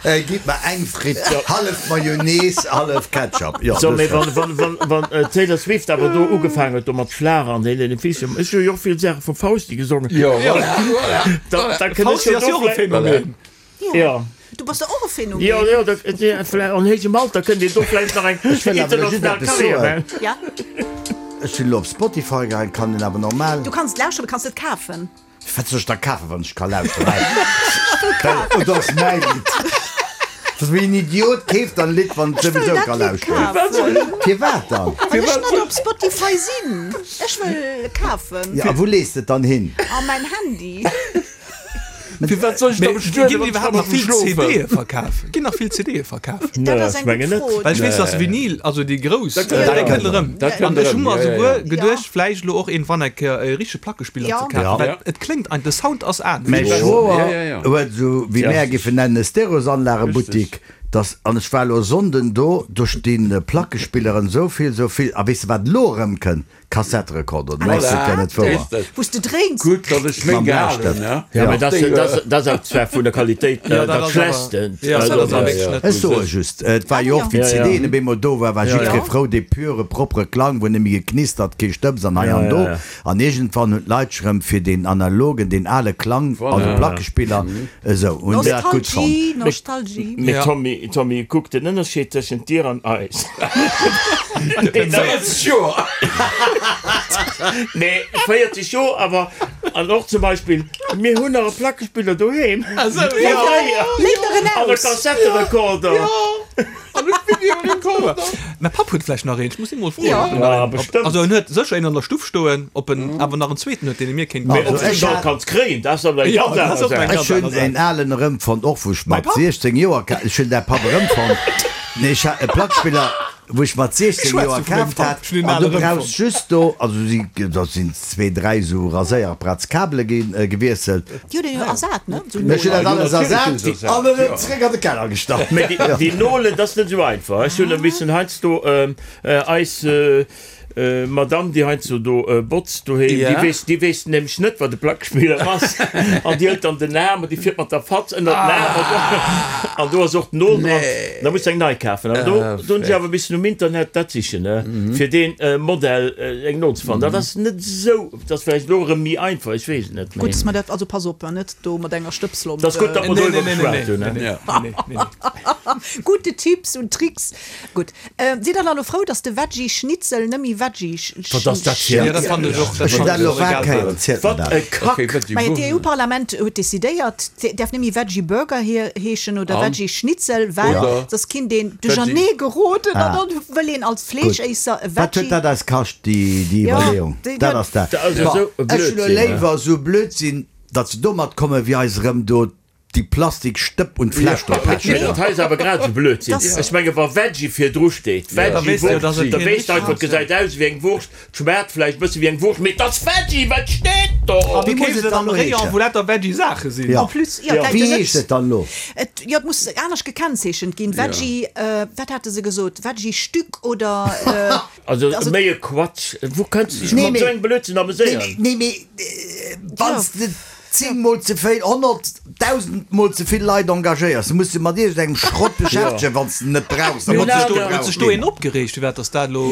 Äh, Gitt mer eng Fritt, hallef Mayonnaise, hallef Ketchup. Ja, So, das mee war- wann, wann, wann, wann Taylor Swift awer do ugefaangen huet do mat Schlager an Helene Fischer, ech hu jo och vill Saache vum Fausti gesongen. Ja, voilà, voilà. Da, da kënnt ech Fausti jo ass do jo och e vläicht- Phänomen. Ja. Du bass och e Phänomen. Jo, jo, dat, ja, vläicht an héijem Alter kënnt een do vläicht nach eng wëll awer elo just international eppes Karriär soen. maachen. Ja. Ech sinn elo op Spotify gaangen, kann en awer normal. Du kanns lauschteren, du kanns et kafen. Wat soll ech da kafen, wann ech ka lauschteren? Well, oh, dat ass mäi Lidd. Dat ass wéi en Idiot keeft dann e Lidd, wann en Ech wëll souwisou dat ka Lidd lauschteren. kafen. Firwat dann? Well ech net op Spotify sinn. Ech wëll kafen. Ja, a wou lees de et dann hin? A mäin Handy. Firwat soll ech da Mee bestueden, ginn wann ech iwwerhaapt kann nach vill schlofen? C D'e verkaf? Ginn nach vill C D'e verkaf? Dat ass ech eng mengen gutt net. Fro. Well ech weess, dass Vinyl, also déi grouss, Dat dat kënnt erëm. kënnt erëm. Dat kënnt An ech hu erëm, mer ja, ja, esouguer ja. geduecht, vläicht elo och iergendwann eng Kéier e richtege Plackespiller Ja. ze kafen, Ja. well Ja. et kléngt ein, de Sound ass anescht. Mäi Ja, Schwoer ja, ja. huet esou, wéi Ja. mär géifen nennen, e Stereosanlagebuttik, dass, an ech war elo Sonnden do, do stinn Plackespilleren esou vill, esou vill, a weess de wat elo erëmkënnt? Kassetterekorder, du mechs et ja net wouer. Wou s de dréins. Gutt, datt ech meng Mam gehalen Blästëft. hunn, ne? Ja, Ja. mee dat, dat, dat ass awer zwar vun der Qualitéit Ja, äh, dat dat ass awer- Schlechtste. Ja, Also, dat ass awer dat- wierklech net Ech soe just, et war jo och, wéi Ja, ja. d'C D'en op eemol do war, war Ja, jiddweree ja. frou, dee pure, propere Klang, wou net méi geknistert, kee Stëbs an hei Ja, an do. ja, ja. An iergendwann hunn d'Leit sech erëm fir deen analogen, deen ale Klang, Voilà. also Plackespiller, esou, hunn dat gutt fonnt. Nostalgie, Nostalgie. Mee Ja. Tommy, Tommy, kuck den Ënnerscheed tëschent dir an eis. Nee, dat- véierzeg Joer! Nee, véierzeg Joer, awer an och zum Beispill, mir hunn nach e Plackespiller doheem. Also, Ja, ja. ja. Léit der en An e aus. Kassetterekorder. An e Videorekorder. Mäi Papp huet vläicht nach een, ech muss hie mol froen, Ja. ob en nach Ja, een, ob, bestëmmt. also en huet sécher een an der Stuff stoen, ob en awer nach en zweeten huet, deen e mir kéint Mee ginn. ob Also du ech en hat- kanns kréien, dat ass awer eng Ja, ganz dat ass aner och eng Saach. ganz Ech hunn aner Saach. en alen erëmfonnt, och wou ech Mäi mat Papp? siechzéng Joer ka-, ech hunn däi Papp erëmfonnt. Nee, ech hat e Plackspiller, wou ech mat siechzéng Schwätz Joer du vun mengem kaaft Papp? hat, Ech hunn en an du alen brauchs erëmfonnt. just do, also si, do sinn zwee, dräi sou Raséierapparaatskabele ginn, äh, gewiesselt. Déi huet een jo ersat, ne? Sou Ech hunn dat Nolen. alles natierlech ersat hunn se ersat, an erëm ja. zeréck an de Keller gestallt. Mee déi, déi Nolen, dat ass net esou einfach. Ech hunn e bëssen heiansdo, ähm, äh, eis, äh, äh, Madame, déi heiansdo do, äh, botzt doheem, Ja. déi weess, déi weess nämlech net, wat de Plackespiller ass. An déi hëlt dann den Aarm an déi fiert mat der Fatz ënner den Aarm an do, an do ass och d'Nol dran. Nee. Da muss eng nei kafen. Awer do, Ah, do hunn ech awer e bëssen um Internet dat sichen, ne, fir deen, äh, Modell, äh, eng Nol ze fannen. Dat ass net esou, dat ass vläicht elo erëm méi einfach, ech weess et net Gutt, méi. dass mer dat, also pass op, net do mat enger Stëbslomp, Dat ass gutt, datt mer Nee, doriwwer nee, nee, geschwat nee, hunn, nee, ne? nee, Ja. nee, nee, nee. Gute Tipps und Tricks. Gutt. Äh, sidd der elo frou, dass de Veggie-Schnitzel net méi Veggie. Wat ass dat fir Ja, dat fannen ech och. Ech hunn dat elo war Kéier, zielt mer Wat dat. e Kack! Majo, d'EU-Parlament huet decidéiert, et däerf net méi Veggie Burger heeschen oder Veggie Schnitzel, well Oder soss kinnt een duerchernee geroden an dann wëll een als Fleeschéisser e Wat huet Veggie. dat eis kascht, déi déi Ja, Iwwerleeung? déi- Dat ass dat. Dat ass jo Bon, esou e ech hunn elo Blödsinn, ne? léiwer esou Blödsinn, datt se domat kommen, wéi eis erëm do déi Plastikstëpp un d'Fläsch do Mee pechen. dat hei ass awer grad esou Blödsinn. Das- Ech menge wa Veggie virdru steet, Da weess de jo, dass Veggie-Wurscht, et da keen weess de einfach, et gesäit aus wéi eng Wurscht, et schmaacht vläicht e bësse wéi eng Wurscht, mee et ass Veggie, wat steet do? An du Wéi muss keefs et et dann am elo Rayon, heeschen? wou lauter Veggie-Saache sinn. Ja. En plus, jo, Ja. et läit Wéi jo net. heescht et dann elo? Et, jo, et muss anescht gekennzeechent ginn. Veggie, äh, wat hate se gesot? Veggie-Stück oder, äh, Also also, méi e Quatsch. Wou kënns du dech Nee, mat mee- esou engem Blödsinn Nee, ameséieren? mee, nee, mee wann s de zéng mol ze vill, honnert, dausend mol ze vill Leit engagéiers, muss de mat iergendengem Schrott beschäftegen, wann s de en net brauchs. Mee Dann huet muss sech de do, gebraucht huet sech do ginn. een opgereegt, firwat dass dat elo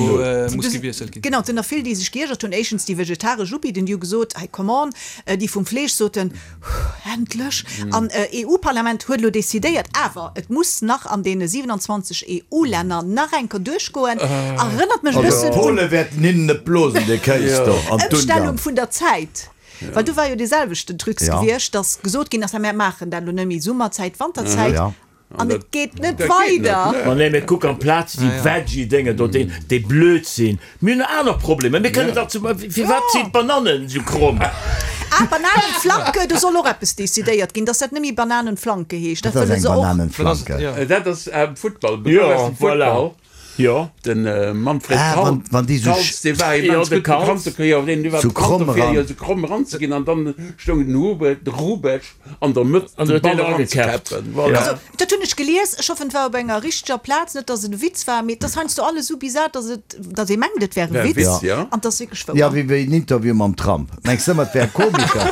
muss gewiesselt ginn? Genau, et sinn der vill, déi sech geiergert hunn. Éischtens déi vegetaresch Ubidden, déi hu gesot, hey, come on. Déi vum Fleesch soten, huh, endlech. An EU-Parlament huet elo decidéiert, awer et muss nach an deene siewenundzwanzeg EU-Länner nach eng Kéier duerchgoen. Erënnert mech e Also bëssen un d'Pole wäerten hinnen net blosen, dee Kéis do, an Ëmstellung d'Ungarn. vun der Zäit. Well do war jo dee selwechten Trucs Ja. gewiescht, dass gesot ginn ass, mir maachen dat elo net méi Summerzäit, Wanterzäit. Ja. An et geet net Dat geet weider. net, ne. Ma nee, mee kuck, amplaz déi Veggie-Dénge do, déi, déi Blödsinn. Mir hunn aner Problemer. Mir kënnen dach zum, firwat sinn d'Banannen esou kromm? Ah, Bananenflanke, do soll och eppes decidéiert ginn, dass dat net méi Bananenflanke heescht. Dat Dat ass wëlle eng se och. Bananenflanke. Ja. Dat ass am Futtball. Ja, voilà. Jo. Den Manfred Ah, Kaltz, wann, wann déi sou Kaltz, dee war Jo, immens de gutt Kaltz. bekannt, de jo, deen war Sou bekannt kromm dofir, eran. jo, sou kromm eranzeginn an dann stoung den Hubert, de Hrubesch an der Mëtt, An de huet Ball deen eragekäppt. eranzekäppen. Voilà. Also, dat hunn ech gelies, ech hoffen, et war op enger richteger Plaz, net dass et e Witz war, mee et ass heiansdo alles sou bizar, dass et, dass ee mengt, et wär e Wär e Witz, Witz, ja. an et ass wierklech wouer. Ja, wéi wéi en Interview mam Trump. Mengs de ëmmer, et wär e Komiker?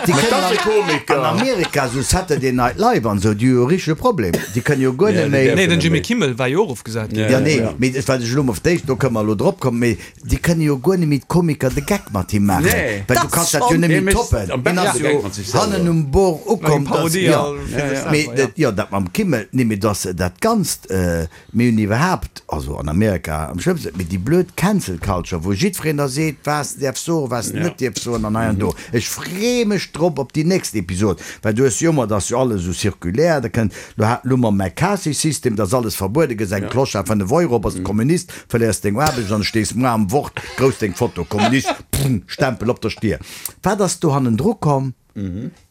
Déi Dat kënnen ass e an, Komiker. an Amerika, sou Saturday Night Live an sou, déi hu jo richtege Problem. Déi kënnen jo guer Ja, net déi méi. däerfen Nee, den net Jimmy méi. Kimmel war jo och ofgesat ginn. Ja. Ja, nee, mee dat wat ech elo mol d'éischt, do kënne mer elo drop kommen, mee déi kënne jo guer net méi d'Komiker de Geck mat him maachen. Nee. Well du Dat kanns dat jo schon. net Hie méi mécht toppen. am Hien beschten ass de Geck jo mat sech selwer. hannen um Bord ukomm, Eng dass, Parodie ja. a fir sech Mee selwer, dat, ja, dat mam Kimmel, nee, mee dass dat Ganzt, mir hunn iwwerhaapt, also an Amerika am schlëmmsten, mee déi blöd Cancel Culture, wou jiddwereen da seet, was en däerf soen, was en Ja. net däerf soen an hei an do. Ech free mech drop op déi nächst Episod, well du hues jo ëmmer, dat ass jo alles esou zirkulär, da kënnt, lo hat, lo mam McCarthy-System, dat ass alles verbuede, gëss eng Clochard fënnef Euro, bass Kommunist, verléiers deng Aarbecht an stees muer am Wort grouss deng Foto, Kommunist, pum, Stempel op der Stier. Wat ass do hannendru komm?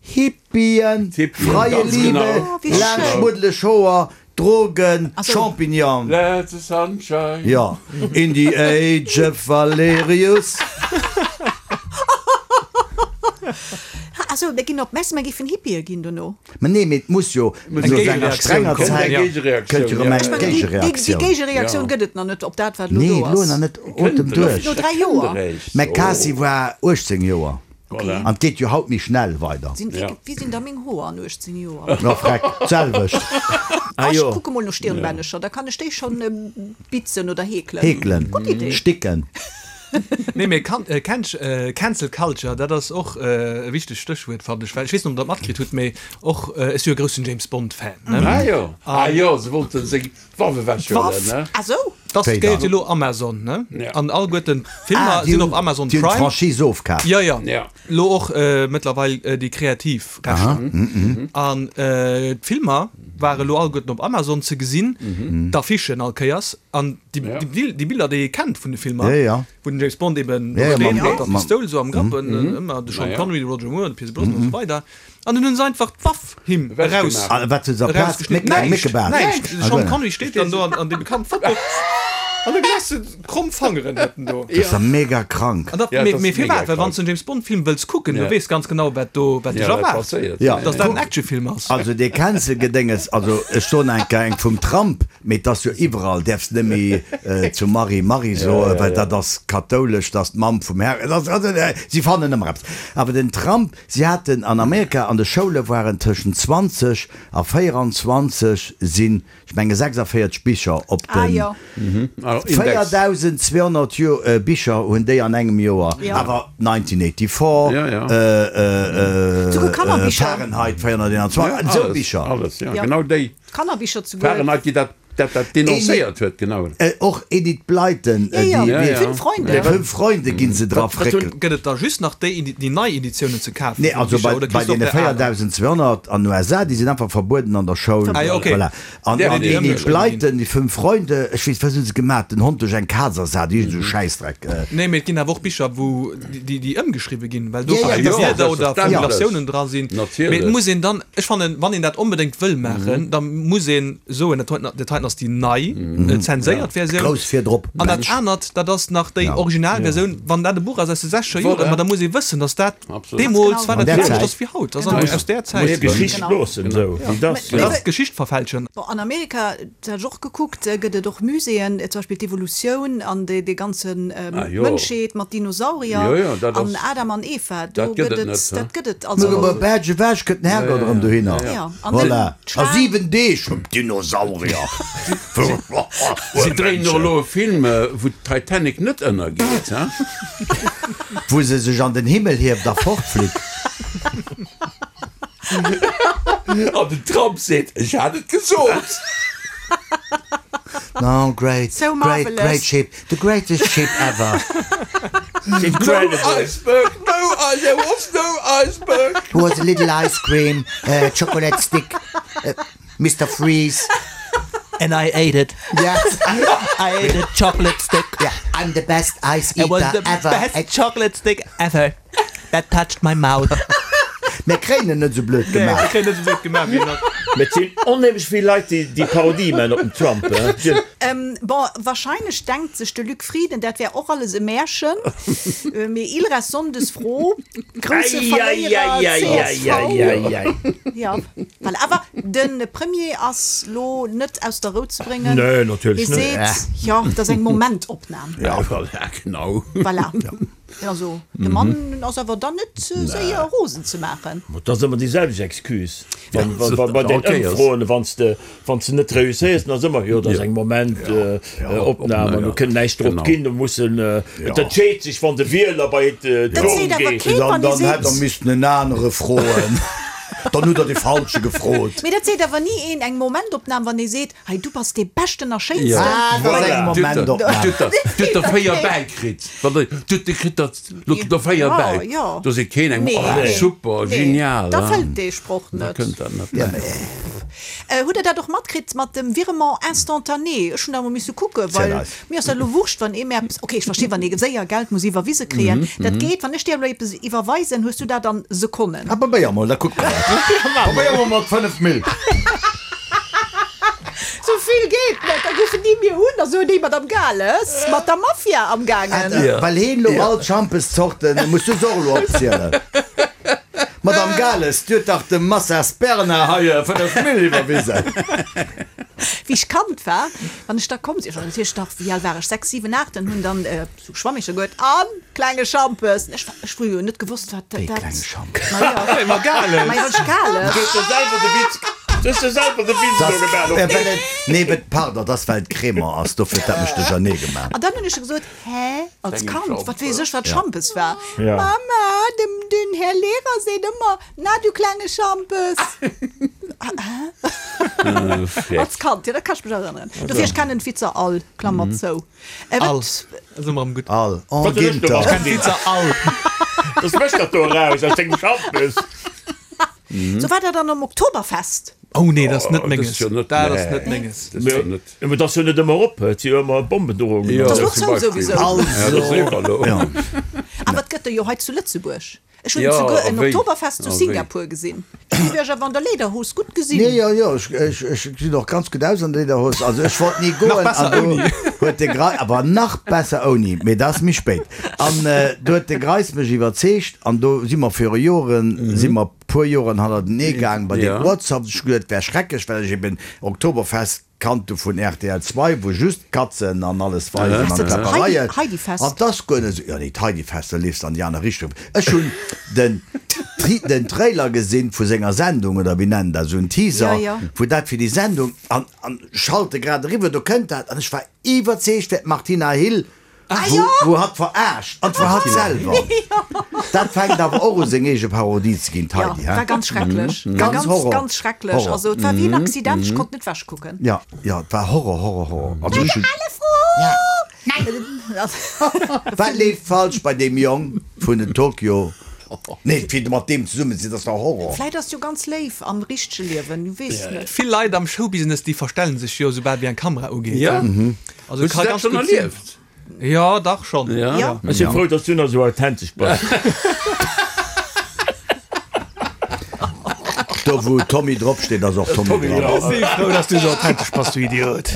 Hippien, Hippien, freie ganz Liebe, genau. Oh, wéi laang schön. schmuddeleg Hoer, Drogen, Also- Champignon. Let the sunshine. Ja, in the age of Valerius. Also, mir ginn op d'Mess, mir géifen Hippië ginn dono. Ma nee, mee et muss jo Eng no senger Géigereaktioun strenger kommen. Zäit Eng Géigereaktioun, kënnt jo erëm ja. eng Ech mengen, déi, déi, déi Géigereaktioun. Géigereaktioun Ja. gëtt et nach net op dat, wat elo Nee, do elo ass. nach net. Otem duerch. No dräi Joer. McCarthy war uechtzéng Joer. Voilà. An et geet jo haut méi schnell weider. Sinn, Ja. wéi, wéi sinn da meng Hoer an uechtzéng Joer? Na freck, d'selwecht. Ah Ah, ech jo. kucke mol no Stirnbännecher, da kann ech déi schonn bitzen oder heekelen. Heekelen. Gutt Idee. Sticken. Nee, mee kan, äh, Can, äh, Cancel Culture, dat ass och äh, e wichtegt Stéchwuert, fand ech, well ech weess net, ob der dat matkritt hutt, mee och, äh, ech si jo e groussen James Bond Fan, ne? Ah jo, ah jo, se wollten seng Waff ewechhuelen, D'Waff? ne? Ah sou? Das Wéi gehéiert dann? jo lo Amazon, ne? Ja. An alleguerten d'Filmer Ah, déi sinn hunn op Amazon déi hunn Prime. d'Franchise ofkaf. Ja, ja. Ja. Lo och äh, mëttlerweil äh, déi kreativ Rechter. Mhm, An äh, d'Filmer ware lo alleguerten op Amazon ze gesinn, Mhm. d'Affichen all Kéiers an déi, Ja. déi, déi Biller, déi ee kennt vun de Filmer, Ja, ja. wou den James Bond eben Ja, ja, steet mam- mat der mam- Pistoul sou am Grapp, mhm. ëmmer de Sean Na ja. Connery, de Roger Moore, de Pierce Brosnan mhm. und so weider. An dann hunn se einfach d'Waff him Ewechgemaach. eraus. Ah, wat huet se amplaz? Erausgeschnitten. Méck- Näischt, Méckebaart. näischt. Ah, De Sean guer. Connery steet dann do an, an deem bekannten Foto. An da gesäis de kromm Fangeren huet en do. Dat ass ja mega krank. An dat, Ja, mee, dat ass mee firwat? mega Well krank. wann s de en James Bond Film wëlls kucken, du Ja. weess ganz genau wat do, wat dech Ja, wat erwaart. passéiert. Ja. Dass dat en Actionfilm ass. Also dee Cancel-Gedénges, also ech soen eng Kéier eng vum Trump, mee et ass jo iwwerall, däerfs net méi zu Marie Marie soen, well dat ass kathoulesch, dat ass d'Mamm vum Här, et ass, also si fannen ëmmer eppes. Awer den Trump, si haten an Amerika an de Schoule waren tëschent zwanzeg a véieranzwanzeg sinn, ech menge sechsundvierzeg Bicher op Ah, den jo. véierdausendzweehonnert Jo Bicher hunn déi an engem Joer, Ja. awer neunzénhunnertfünfundachtzig, Ja, ja. äh, äh, Souguer Kannerbicher. Fahrenheit véierhonnerteenundzwanzeg, Ja, esou alles, Bicher. Alles, ja, Ja. genau déi. Kannerbicher souguer. Fahrenheit, déi dat Dat dat denoncéiert huet, genau. Och Enid Blyton, Ja, ja, déi, ja, déi Fünf Freunde. Fünf Freunde ginn se dra fréckelt. Gëtt et da just nach déi, déi nei Editiounen ze kafen? Nee, also bei, bei deene véiertausendzweehonnert an den U S A, déi sinn einfach verbueden an der Schoul. Ah, ja, okay. Voilà. An, Ja, an déi Enid ëmgeschriwwen Blyton, déi Fünf Freunde, ech weess, wat hu se gemaach? Den Hond duerch eng Kaz ersat, iergend esou Schäissdreck. Nee, mee et ginn awer och Bicher, wou déi, déi ëmgeschriwwe ginn, well do Ja, ja, verschidde ja, Wierder oder selbstverständlech. Formulatiounen dra sinn. Natierlech. Mee et muss een dann, ech fannen, wann een dat onbedéngt wëll maachen, da muss een soen, dat heiten, dat heiten ass déi nei, zenséiert Versioun. Grouss virdrop. An dat anert, dat ass nach déi original Versioun. Wann dat e Buch ass aus de sechzeger Joren, Voilà. ma da muss ee wëssen, datt dat Absolut. deemools war An dat där anescht Zäit. ass wéi haut. Dat ass aus där Muss Zäit. d'Geschicht Genau. loossen, esou wéi dat. Dat ass d'Geschicht verfälschen. Bon, an Amerika, dat hat ech och gekuckt, gëtt et och Muséeën, zum Beispill d'Evolutioun an déi, déi ganzen Ah, jo. Mënschheet mat Dinosaurier Jo, jo, dat an ass- Adam an Eva. Do dat gëtt gëtt et et, net, dat gëtt et. Nur Also, iwwer Berg ewech kënnt den Herrgott erëm dohinner. Ja, an Voilà. den A Schwaang- siwen Deeg vum Dinosaurier. Si dréinen och elo e Film, wou d'Titanic net ënnergeet, he? Wou se sech an den Himmel hieft a fortflitt. An den Trump seet, ech hat et gesot. No, great, So great, marvelous. great ship, the greatest ship ever. Incredible. No iceberg, no ice, there was no iceberg. Who was a little ice cream, uh, chocolate stick, uh, Mister Freeze. And I ate it. Yes. I ate a chocolate stick. Yeah, I'm the best ice It was eater the ever. best chocolate stick ever. That touched my mouth. Mir kréien en net sou blöd gemaach. Kréien net sou blöd gemaach wéi nach. Mee et sinn onheemlech vill Leit, déi déi Parodie man op den Trump, he. Ähm, bon, wahrscheinlech denkt sech de Luc Frieden, dat wär och alles e Märchen. Mee Ilra Sonndes froh, grousse Verléierer C S V. Eieieiei. Ja, voilà. Awer de Premier ass lo net aus der Rou ze bréngen. Nee, natierlech Hie net. seet, jo, dat ass eng Momentopnam. Ja, voilà, genau. Voilà. Also, de Mann ass awer dann net séier rosen ze maachen. Ma dat ass ëmmer déi selwecht Excuse. Wann, wann, wann, bei den Okay, Ëmfroen, wann s de, wann s de net reusséiers, dann ass ëmmer, jo, dat ass eng Moment, äh, äh, Opnam, an do kënnt näischt drop Genau. ginn, do mussen, äh, et entscheet sech, wann de Wieler bei d'Urn Dat seet awer geet. keen, Dann, wann ee dann hätt der seet. missten en anere froen. Dann hutt der de Falsche gefrot. Mee dat seet awer ni een, eng Momentopnam, wann ee seet, hei, du bass dee Beschten a Schéinsten. Ah, dat ass eng Momentopnam. Du hutt der véier bäikritt. Du kritt der lo der véier Ja, bäi. ja. Do seet keen eng, Nee, oh, nee. super, Nee, genial. Da hein. fëllt dee Sproch Da net. kënnt dat net. Ja, nee. Äh, hutt der dat och matkritt mat dem Virement instantané? Ech hunn da mol misse kucken, well Zäit eis. mir ass dat elo wurscht, wann ee mir eppes, okay, ech verstinn, wann ee séier Geld muss iwwerwise kréien. Dat geet, wann ech dir elo eppes iwwerweisen, hues du dat an Sekonnen. Ah, probéier mol, da kucke mer dat. Probéier mol mat fënnef Mille. Sou vill geet net, da ruffen déi mir un, da soen déi, Madame Gales, mat der Mafia am gaangen. Ah, well heen lo all d'Schampeszorten, muss du se och elo opzielen. Madame Gales, du huet dach dem Massa Sperna hei fënnef Mille iwwerwisen. Wéi ech Kand war, wann ech da komm sinn, ech war natierlech nach, wéi al war ech, sechs, siwen, aacht, an hunn dann sou Schwammecher gehuet an klenge Schampes. Ech war, ech hu jo net gewosst, wat dat. Wéi klenge Schampes? Ma jo. Ma Gales! Ma jo, ech Gales. Du hues der selwer de Witz, du hues der selwer de Witz elo gemaach. Äh, well et, nee, well, pardon, dat ass well et Crémant ass, dofir huet dat mech duerchernee gemaach. An dann hunn ech gesot, hä, als Klenge Kand, Schampes. wat weess ech, wat Schampes war? Ja. Mama, dem, den Här Lehrer seet ëmmer, na du klenge Schampes. Äh, Als Kand, ja, dat kann ech mech erënneren. Dofir, ech kennen d'Witzer all, Klammer zou. Äh, All. wat, Da si mer am gutt. All. En Wat huet ech Ginter. gemaach? Ech kenn d'Witzer all. Das mécht dat do eraus aus dengem Schampes. So war dat dann am Oktoberfest. Oh nee, dat ass net Oh, dat menges. ass jo net- Dat ass nee. net menges. Dat ass jo net. Ja, mee dat ass jo net ëmmer op, et si jo ëmmer Bombendrohungen. Ja, Dat ass och zum zou Beispiel. souwisou. Ja, dat ass iwwer elo. Ja. Awer et gëtt der jo hei zu Lëtzebuerg. Ech hunn Ja, souguer a en wéi? Oktoberfest zu A wéi? Singapur gesinn. Du wär awer an der Lederhos gutt gesinn. Nee, jo, jo, ech, ech, ech gesinn och ganz gutt aus an der Lederhos. Also ech wollt ni goen. Nach besser an do ouni. huet de Grei, awer nach besser ouni, mee dat ass méi spéit. An äh, do huet de Greis mech iwwerzeegt an do si mer viru Joren, si mer puer Joren hannertenee gaang bei Ja. den Ortshaft. Ech geduet, wär schrecklech, well ech eben Oktoberfest kannte vun R T L zwei, wou just Katzen an alles weisen Ass an dat Klappereien. Heidi, Heidi-Fest? An das guer net sou, ja nee, d'Heidi-Fest, da leefst an déi aner Richtung. Ech hunn den Tri-, den Trailer gesinn vu senger Sendung, oder wéi nennen dat, sou en Teaser, Ja, ja. wou dat fir déi Sendung, an, an schalte grad eriwwer, do kënnt dat, an ech war iwwerzeegt, wär d'Martina Hill Wou, wou hatt verarscht, an zwar hatt selwer. Dat fänkt awer och u seng eege Parodie ze ginn, Ja, d'Heidi, hä? war ganz schrecklech. War Ganz ganz, Horror. ganz schrecklech. Horror. Also et war wéi en Accident, ech konnt net wechkucken. Ja, ja, et war Horror, Horror, Horror. Also ech hunn. Alle froh! Ja. Nein! Wat leeft falsch bei deem Jong vun den Tokyo? Nee, fir mat deem zesummen ze sinn, dat ass dach Horror. Vläit ass jo ganz léif am richtege Liewen, du weess net. Vill Leit am Showbusiness, déi verstellen sech jo, soubal wéi eng Kamera ugeet. Ja. Also Hues du ka dat ganz schonn gutt sinn. erlieft? Ja, dach schonn. Ja. Ja. Ech si frou, dass du nach esou authentesch bass. Do wou Tommy drop steet, ass och Tommy Tommy dran. dran. Ech si frou, dass du esou authentesch bass, du Idiot.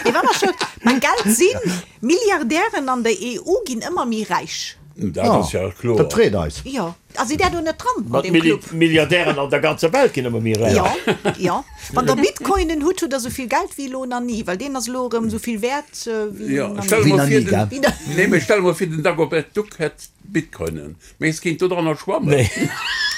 Mee wa mer scho beim Geld sinn, Milliardären an der E U ginn ëmmer méi räich. Dat ass ja kloer. Dat freet eis. Jo. A sidd där do net dran an Mat deem Club? Milliardären an der ganzer Welt ginn ëmmer méi räich. Jo, jo. Wann der Bitcoinen hutt, hutt der esou vill Geld wéi elo nach ni, well deen ass elo erëm esou vill wäert wéi Jo, nach stell ni. Wéi mol nach vir, ni, gell? den, nee, mee stell mol vir, den Dagobert Duck hätt Bitcoinen. Mee es kéint do dranner schwammen. Nee.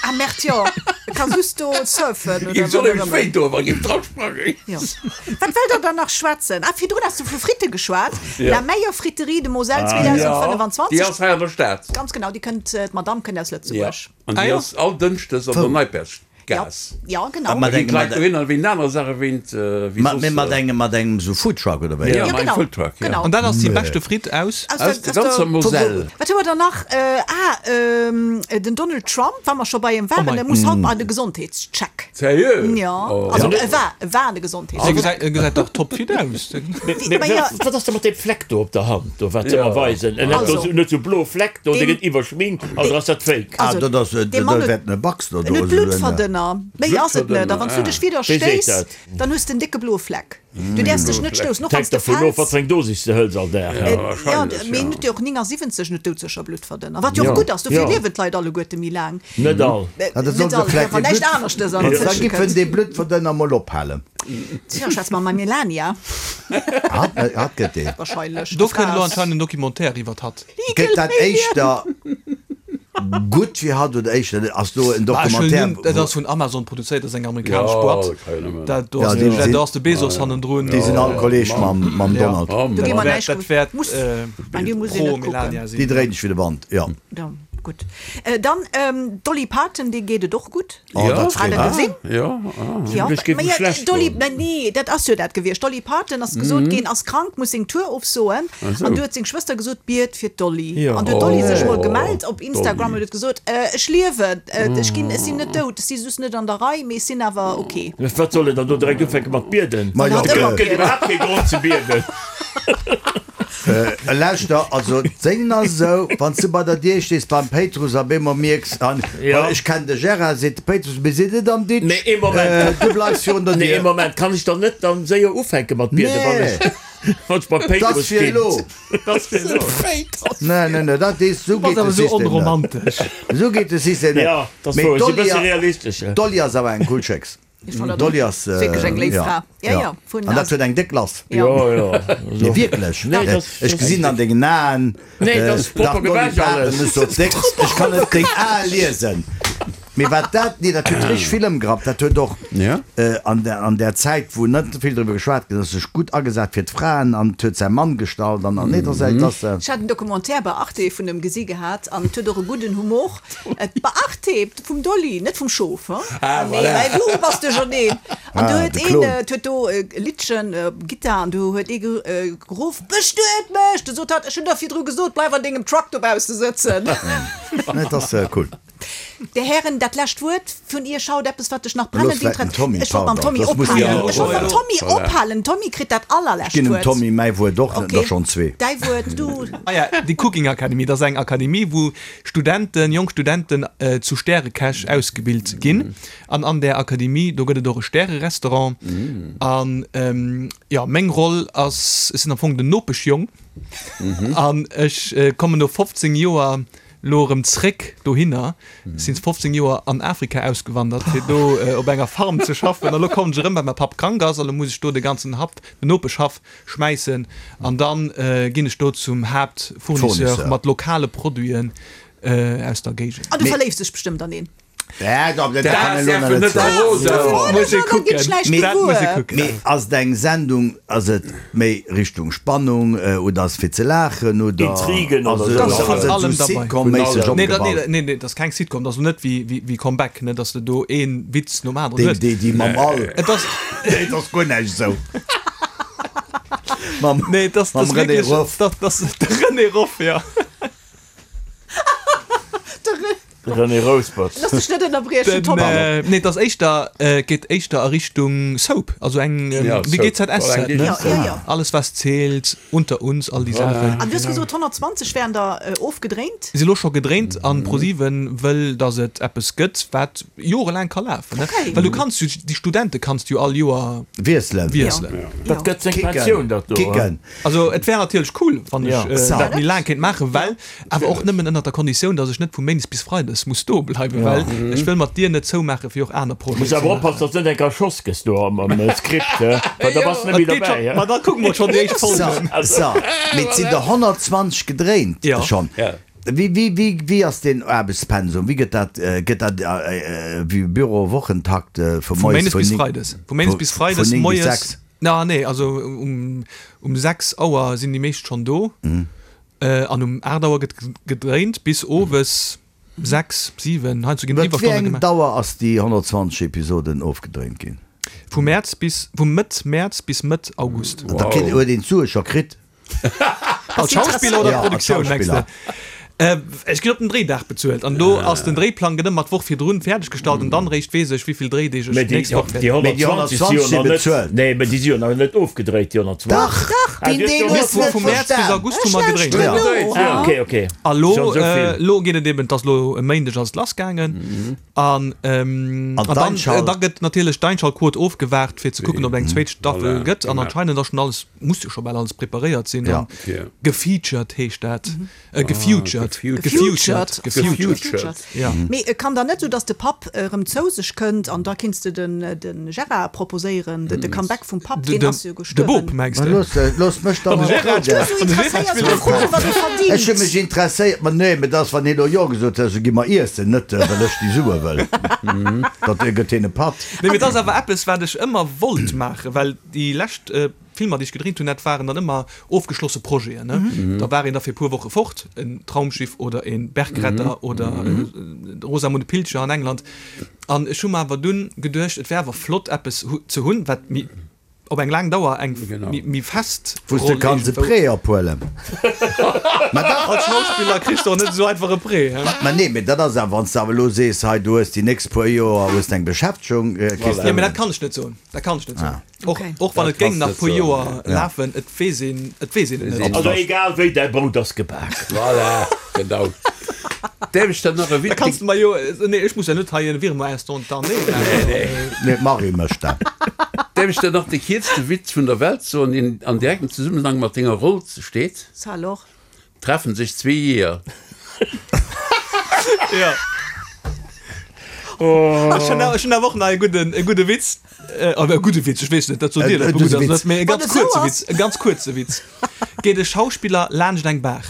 Ah merde, jo. E ka just do surfen oder Géif soll wat och nämlech ëmmer. wéi do, wa géif dra sprangen. Jo. Wat wëllt der dann nach schwätzen? Ah, virdrun has du vu Fritte geschwat. Ja. La meilleure friterie de Moselle Ja, zweedausendfënnefwanzwanzeg. déi ass hei an der Stad. Ganz genau, déi kënnt, d'Madame kënnt aus Ja. Lëtzebuerg. An Ah déi jo. ass all Dënschdes an der Ja, Neipersgaass. ja, genau. Ah, mat Da ginn engem, d'Leit mat, dohinner wéint aner Saache, wéint, äh, wéi mat, soss, mat äh, engem, mat engem sou Foodtruck oder wéi? Ja, Ja, mat engem genau. Foodtruck, ja. Genau. An dat ass déi beschte Fritt aus? Aus Aus der, der aus ganzer der, Moselle. Wat hu mer dann nach? Äh, ah, ähm, den Donald Trump, wa mer scho bei em Oh waren, mei. der muss haut bei de Gesondheetscheck. Sérieux? Ja, Oh. also Ja. e war, e war de E Gesondheetscheck. gesäit, e gesäit dach topfit aus. Mee, mee, Ma ja. wat ass da mat deem Fleck do op der Hand, do, wat se Ja. ëmmer weisen? En hat do Also. sou, net sou blo Fleck do, dee Deem- gëtt iwwerschminkt, also ass dat fake. Ah, Also, dat ass, dee dat Mann huet- wäert ne Box do. En huet Bluttverdënner. Méi ass et net. A wann s du dech wieder Wéi seet stéiss, dat? dann hues de en décke bloe Fleck. Du däerfs dech net stoussen, och wann s Hänkt de dervun of, wat fäls. fir eng Dosis de hëls all Dag. Ja, Ja, wahrscheinlech, mee ja. en huet jo och néngasiwwenzeg net doudsécher Bluttverdënner. Wat jo och Ja. gutt ass, dofir Ja. liewen d'Leit alleguerte méi laang. Net all. Äh, Ja, dat soll Net se all, vläicht wann dee näischt Blut- aneschtes an Da dezwësche giffen kënnt. dee Bluttverdënner mol ophalen. Tja, schwätz mal mam Melania. Hat, hat gëtt dee. Wahrscheinlech. Do De kënnt elo Fraß. anscheinend en Documentaire iwwer hatt. Gëtt dat éischter gutt fir hatt oder éischter ass do en Bah, ech wëll Documentaire? nun- Dat ass vun Amazon produzéiert, dat ass eng amerikanesch Ja, Boîte. dat kann jo nëmmen. Dat, do Ja, ass déi de, sinn- do ass de Bezos hannendrun. Déi sinn all Kolleg mam, mam Ja. Donald. Oh, Do gi mer Dat näischt wäert, dat wäert Muss, äh, Mein, die muss ich pro net kucken. Melania Déi sinn. dréint ech fir de Band, ja. Ja, gutt. Äh, dann ähm, Dolly Parton, déi geet et och gutt. Oh, Ja. dat Hat freet der eis. gesinn? Ja, ah. Ja, Ech géif ma em ja, schlecht Dolly, goen. na, nee, dat ass jo dat gewiescht. Dolly Parton ass gesot ginn, ass krank, muss seng Tour ofsoen. so. An du huet seng Schwëster gesot, biet fir d'Dolly. Ja. An du huet d'Dolly sech Oh, mol gemellt op Instagram Dolly. und huet gesot, äh, ech liewen, äh, ech ginn, ech sinn net dout, ech si just net an der Rei, mee ech sinn awer okay. Wat soll en dann do direkt ufänke mat bieden? Ma ja, Hat ëmmer äh, Gëtt iwwerhaapt kee Grond ze bieden. Äh, lauschter, also d'Singen ass esou, wann s du bei der Dier stees beim Péitruss a bemol mierks an, Ja. well ech kenn de Gérard, seet de Péitruss, mir sinn net am Ditsch. Nee, ee Moment. Äh, du bleifs virun der Nee, ee Dier. Moment, kann ech dann net dann séier ufänke mat bieden, wann Nee. ech, wann ech beim Dat Péitruss fir stinn? elo. Dat fir elo. Nee, nee, nee, dat is, so Ass geet awer de sou System net. onromantesch. So geet de System net. Ja, dat Mee wou, si d'Dolly bësse a- realistesch. D'Dolly ass awer eng cool Chicks. Ich fand dat Dolly och ass, äh, wierklech eng léif ja, Fra. Ja, ja, vun An dat huet eng déck Lass. Ja. Ja, ja. Nee, wierklech. Nee, Äh, das- Ech das- gesinn an dengen Aen. Nee, das ist dach proper Dolly gewäsch Parton alles. ist so dick. Ech kann net deng Ae liesen. Mee wat dat, nee, dat huet richtig vill ëmgerappt. Dat huet och Ja. äh, an der, an der Zäit, wou net vill drüber geschwat ginn ass, sech gutt agesat fir d'Fraen an huet säi Mann gestallt an an nee, das, mm. das, äh, Ech hat en Documentaire bei Arte vun dem gesi gehat an huet och e gudden Humor. Et bei Arte vum Dolly, net vum Schof. Hein? Ah, Nee, voilà. well du bass de schon een. An du Ah, huet de een, Klon. äh, huet do äh, Liedchen, äh, Gitarre an du huet ee ge, äh, geruff, bestuet mech! Du sot hat, ech hunn der virdru gesot, bleif an dengem Truck dobausse sëtzen. nee, das äh, cool. Der Herren, dat lescht Wuert vun ihr schaut eppes, wat dech nach Los, brennend vielleicht den interessiert. Tommy, Ech wollt mam pardon, Tommy das muss ophalen. ja- Ech wollt mam Ja. Tommy Voilà. ophalen. Tommy kritt dat allerlescht Ginn dem Wuert. Tommy mäi Wuert och, Okay. der schon zwee. Däi Wuert, du. Ah ja, die Cooking Akademie, das ist eng Akademie, wou Studenten, jonk Studenten äh, zu Stärekäch ausgebilt ginn. An an der Akademie, do gëtt et och e Stäre-Restaurant. An ähm, ja, meng Roll ass, ech sinn am Fong den Nopeschjong. An ech äh, kommen no fofzéng Joer lo erëm zréck dohinner. Sinn fofzéng Joer an Afrika ausgewandert, fir do äh, op enger Farm ze schaffen. An lo kommen ech erëm, well mäi Papp krank ass, an lo muss ech do de ganzen Haff, den Nopeschhaff schmäissen. An dann äh, ginn ech do zum Hauptfournisseur Fournisseur. mat lokale Produiten äh, aus der Géigend. Ah, du Nee. verléifs dech bestëmmt an een. Dat kann een elo nach net soen. Muss ee kucken. Dat muss ee kucken. Mee ass et eng Sendung, ass et méi Richtung Spannung oder ass et fir ze laachen oder Intrigen ass oder et sou? Ass vun ass et allem sou derbei. Sitcom-méisseg Nee, dat, opgebaut? nee, nee, dat ass keng Sitcom, dat ass net wéi, wéi, wéi Comeback, ne, dass de do ee Witz nom aneren Déi, hues. déi, déi mam All. Et ass, Nee, dat ass guer näischt esou. Mam, nee, dat ass, dat mam ass René wierklech, Ruff. dat, dat ass de René Ruff, ja. De René Rouspert. Looss dech net ënnerbriechen, Den, Tom. äh, nee, dat ass éischter, äh, geet éischter a Richtung Soap, also eng, ähm, Ja, wéi Soap. G Z S Voilà, Z, eng ne? Ja, ja, ja. Alles was zählt, unter uns, all déi Saachen. An du hues gesot, honnertzwanzeg wären der äh, ofgedréint? Si lo scho gedréint an ProSieben wëll, dass et eppes gëtt, wat jorelaang ka lafen, ne? Okay. Well du kanns jo, déi Studente kanns du jo all Joer Wiesselen. wiesselen. Ja. Dat gëtt seng Kicken. Pensioun, dat do. Kicken. Also et wär natierlech cool, wann ech Ja. äh, Sa. dat méi laang kéint maachen, well awer och nëmmen ënnert der Konditioun, dass ech net vu méindes bis freides muss do bleiwen, well ech wëll mat dir net zoumaachen, fir och aner Projeten Muss ze awer maachen. oppassen, dass du net eng erschoss gëss do am, am Skript, hä? Well da bass du net méi Dat geet derbäi, schon, hä? ma da kucke mer schon déi éischt So, Folgen. so. Mee et sinn der honnertzwanzeg gedréint Ja. schonn. Ja. Wéi, wéi, wéi, wéi ass den Aarbechtspensum? Wéi gëtt dat, gëtt dat wéi Büro Wochentakt vu Vu moies méindes vun bis ning, freides. Vu méindes vu, bis vun freides ning bis moies. sechs? Na, nee, also um, um sechs Auer sinn déi meescht schonn do. Äh, an um aacht Auer gëtt gedréint bis owes sechs, siwen, heiansdo ginn Iwwer wéi Iwwerstonne eng gemaach. Dauer ass déi honnertzwanzeg Episoden ofgedréint ginn? Vu Mäerz bis, vu Mëtt Mäerz bis Mëtt August. Da kritt, huet een d'Sue scho kritt? Als Schauspiller oder Ja, als Produktioun, mengst du? Schauspiller. Äh, ech ginn op den Dréidag bezuelt an do ass den Dréiplang gëtt ëmmer d'Woch virdrun fäerdeggestallt an dann réischt weess ech, wéi vill Dréideeg ech Mee déi, d'nächst Woch déi wäert. Mee déi honnertzwanzeg si jo honnertzwanzeg si nach net, bezuelt. nee, mee déi si jo nach net ofgedréit, déi honnertzwanzeg. Dach, Dach, Ah, deen du hues Deel jo hues Vu net vu Mäerz bis verstan. August hu mer gedréint. Ja. No. Ja, okay, okay. A lo, Schon esou äh, vill. lo geet et eben, dass lo e Méindeg ass et lassgaangen an, ähm, An an dann, d'Einschalt- äh, da gëtt natierlech d'Einschaltquot ofgewaart, fir ze kucken, ob eng zweet Staffel Voilà, gëtt. An genau. anscheinend ass schon alles, muss jo scho bal alles preparéiert sinn. Ja. An Ja. gefeatured heescht dat. Äh, gefutured. Gefutured. Gefutured. Gefutured. Gefutured. Ja. Mee et kann dann net sou, dass de Papp erëm zou sech kënnt an da kinns de den, den Gérard proposéieren, de, de Comeback vum Papp, De, deen de, ass jo de gestuerwen. Bop, mengs Ma de? looss, looss mech da An de mol Gérard reden. Du so An de Gérard interesséiert spillt mech och froen, wat e Ech hu verdingt. mech interesséiert, ma nee, mee dass, wann hien elo Jo gesot huet, so gi mer iessen, net well ech déi Sue wëll. Dat gëtt hien e Patt. Nee, mee dat ass awer eppes, wat ech ëmmer wollt maachen, well déi lescht äh, Filmer, déi ech gedréint hunn, dat waren dann ëmmer ofgeschlosse Projeten, ne? Da war een da fir e puer Woche fort, en Traumschiff oder en Bergretter oder äh, Rosamunde Pilcher an England. An ech hu mer awer dunn geduecht, et wär awer flott, eppes hu ze hunn, wat méi op eng laang Dauer eng Genau. méi, méi fest Wou s de Roll kanns e iergendwou. Prêt ophuelen. Ma dach. Als Schauspiller kriss du och net esou einfach e Prêt, hä? Ma nee, mee dat ass awer, wann s de awer elo sees, hei, du hues déi nächst puer Joer hues de eng Beschäftegung, äh, kriss Ja, de. mee dat kann ech net soen. Dat kann ech net soen. Och, Okay. och wann Dat et géing kannst nach net puer soen. Joer Ja. lafen, et weess een, et weess een et net. Also egal wéi, däi Brout ass gebak. Voilà, genau. Däerf ech dann nach e Da Witz? kannst du mer jo, nee, ech muss ja net hei en Virement instantané maachen. Nee, d'Marie mécht dat. Däerf ech dann nach de kierzte Witz vun der Welt soen, deen an direktem Zesummenhang mat denger Roll steet? Ça alors? Treffen sech zwee Jeeër. Ja. Oh. Ech hunn ech hunn awer och nach e gudden, e gudde Witz. Äh, oder e gudde Witz, ech weess net, dat sot dir, E- dat e gutt gudde ass, Witz. net, mee e Wann ganz et sou kuerze ass. Witz, e ganz kuerze Witz. Geet e Schauspiller laanscht eng Baach.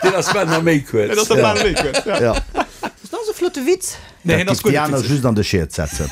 Deen ass bal nach méi kuerz. Dat ass doch bal méi kuerz, ja. Ja. Dat ass e flotte Witz. Nee, Dat hien ass giff déi guer net aner witzeg. just an de Schiet setzen.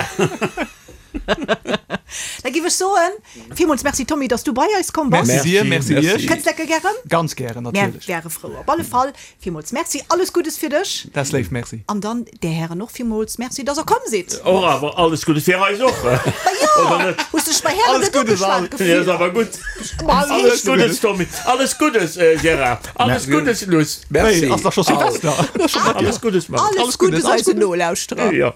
Da giff ech soen, villmools Merci Tommy, dass du bei eis komm bass. Merci dir, merci Merci. iech. Kënns lecker gären? Ganz gären, Mär natierlech. wäre frou. Op alle Fall, villmools Merci, alles Guddes fir dech. Dat ass léif, merci. An dann där Hären och villmools Merci, dass der komm sidd. Och awer alles Guddes fir eis och. Ma jo, Oder net? hues dech bei Hären Alles net Guddes ugeschwat all. Ja, gefillt? ass awer gutt. Ma Alles Guddes, Tommy. Alles Guddes, äh, Gérard. Alles Guddes, Luss. Merci. Hey, ass dach scho Silvester. Alles Guddes, Mann. Alles Alles Guddes, Guddes alles eisen Guddes. Nolauschterer. Ja.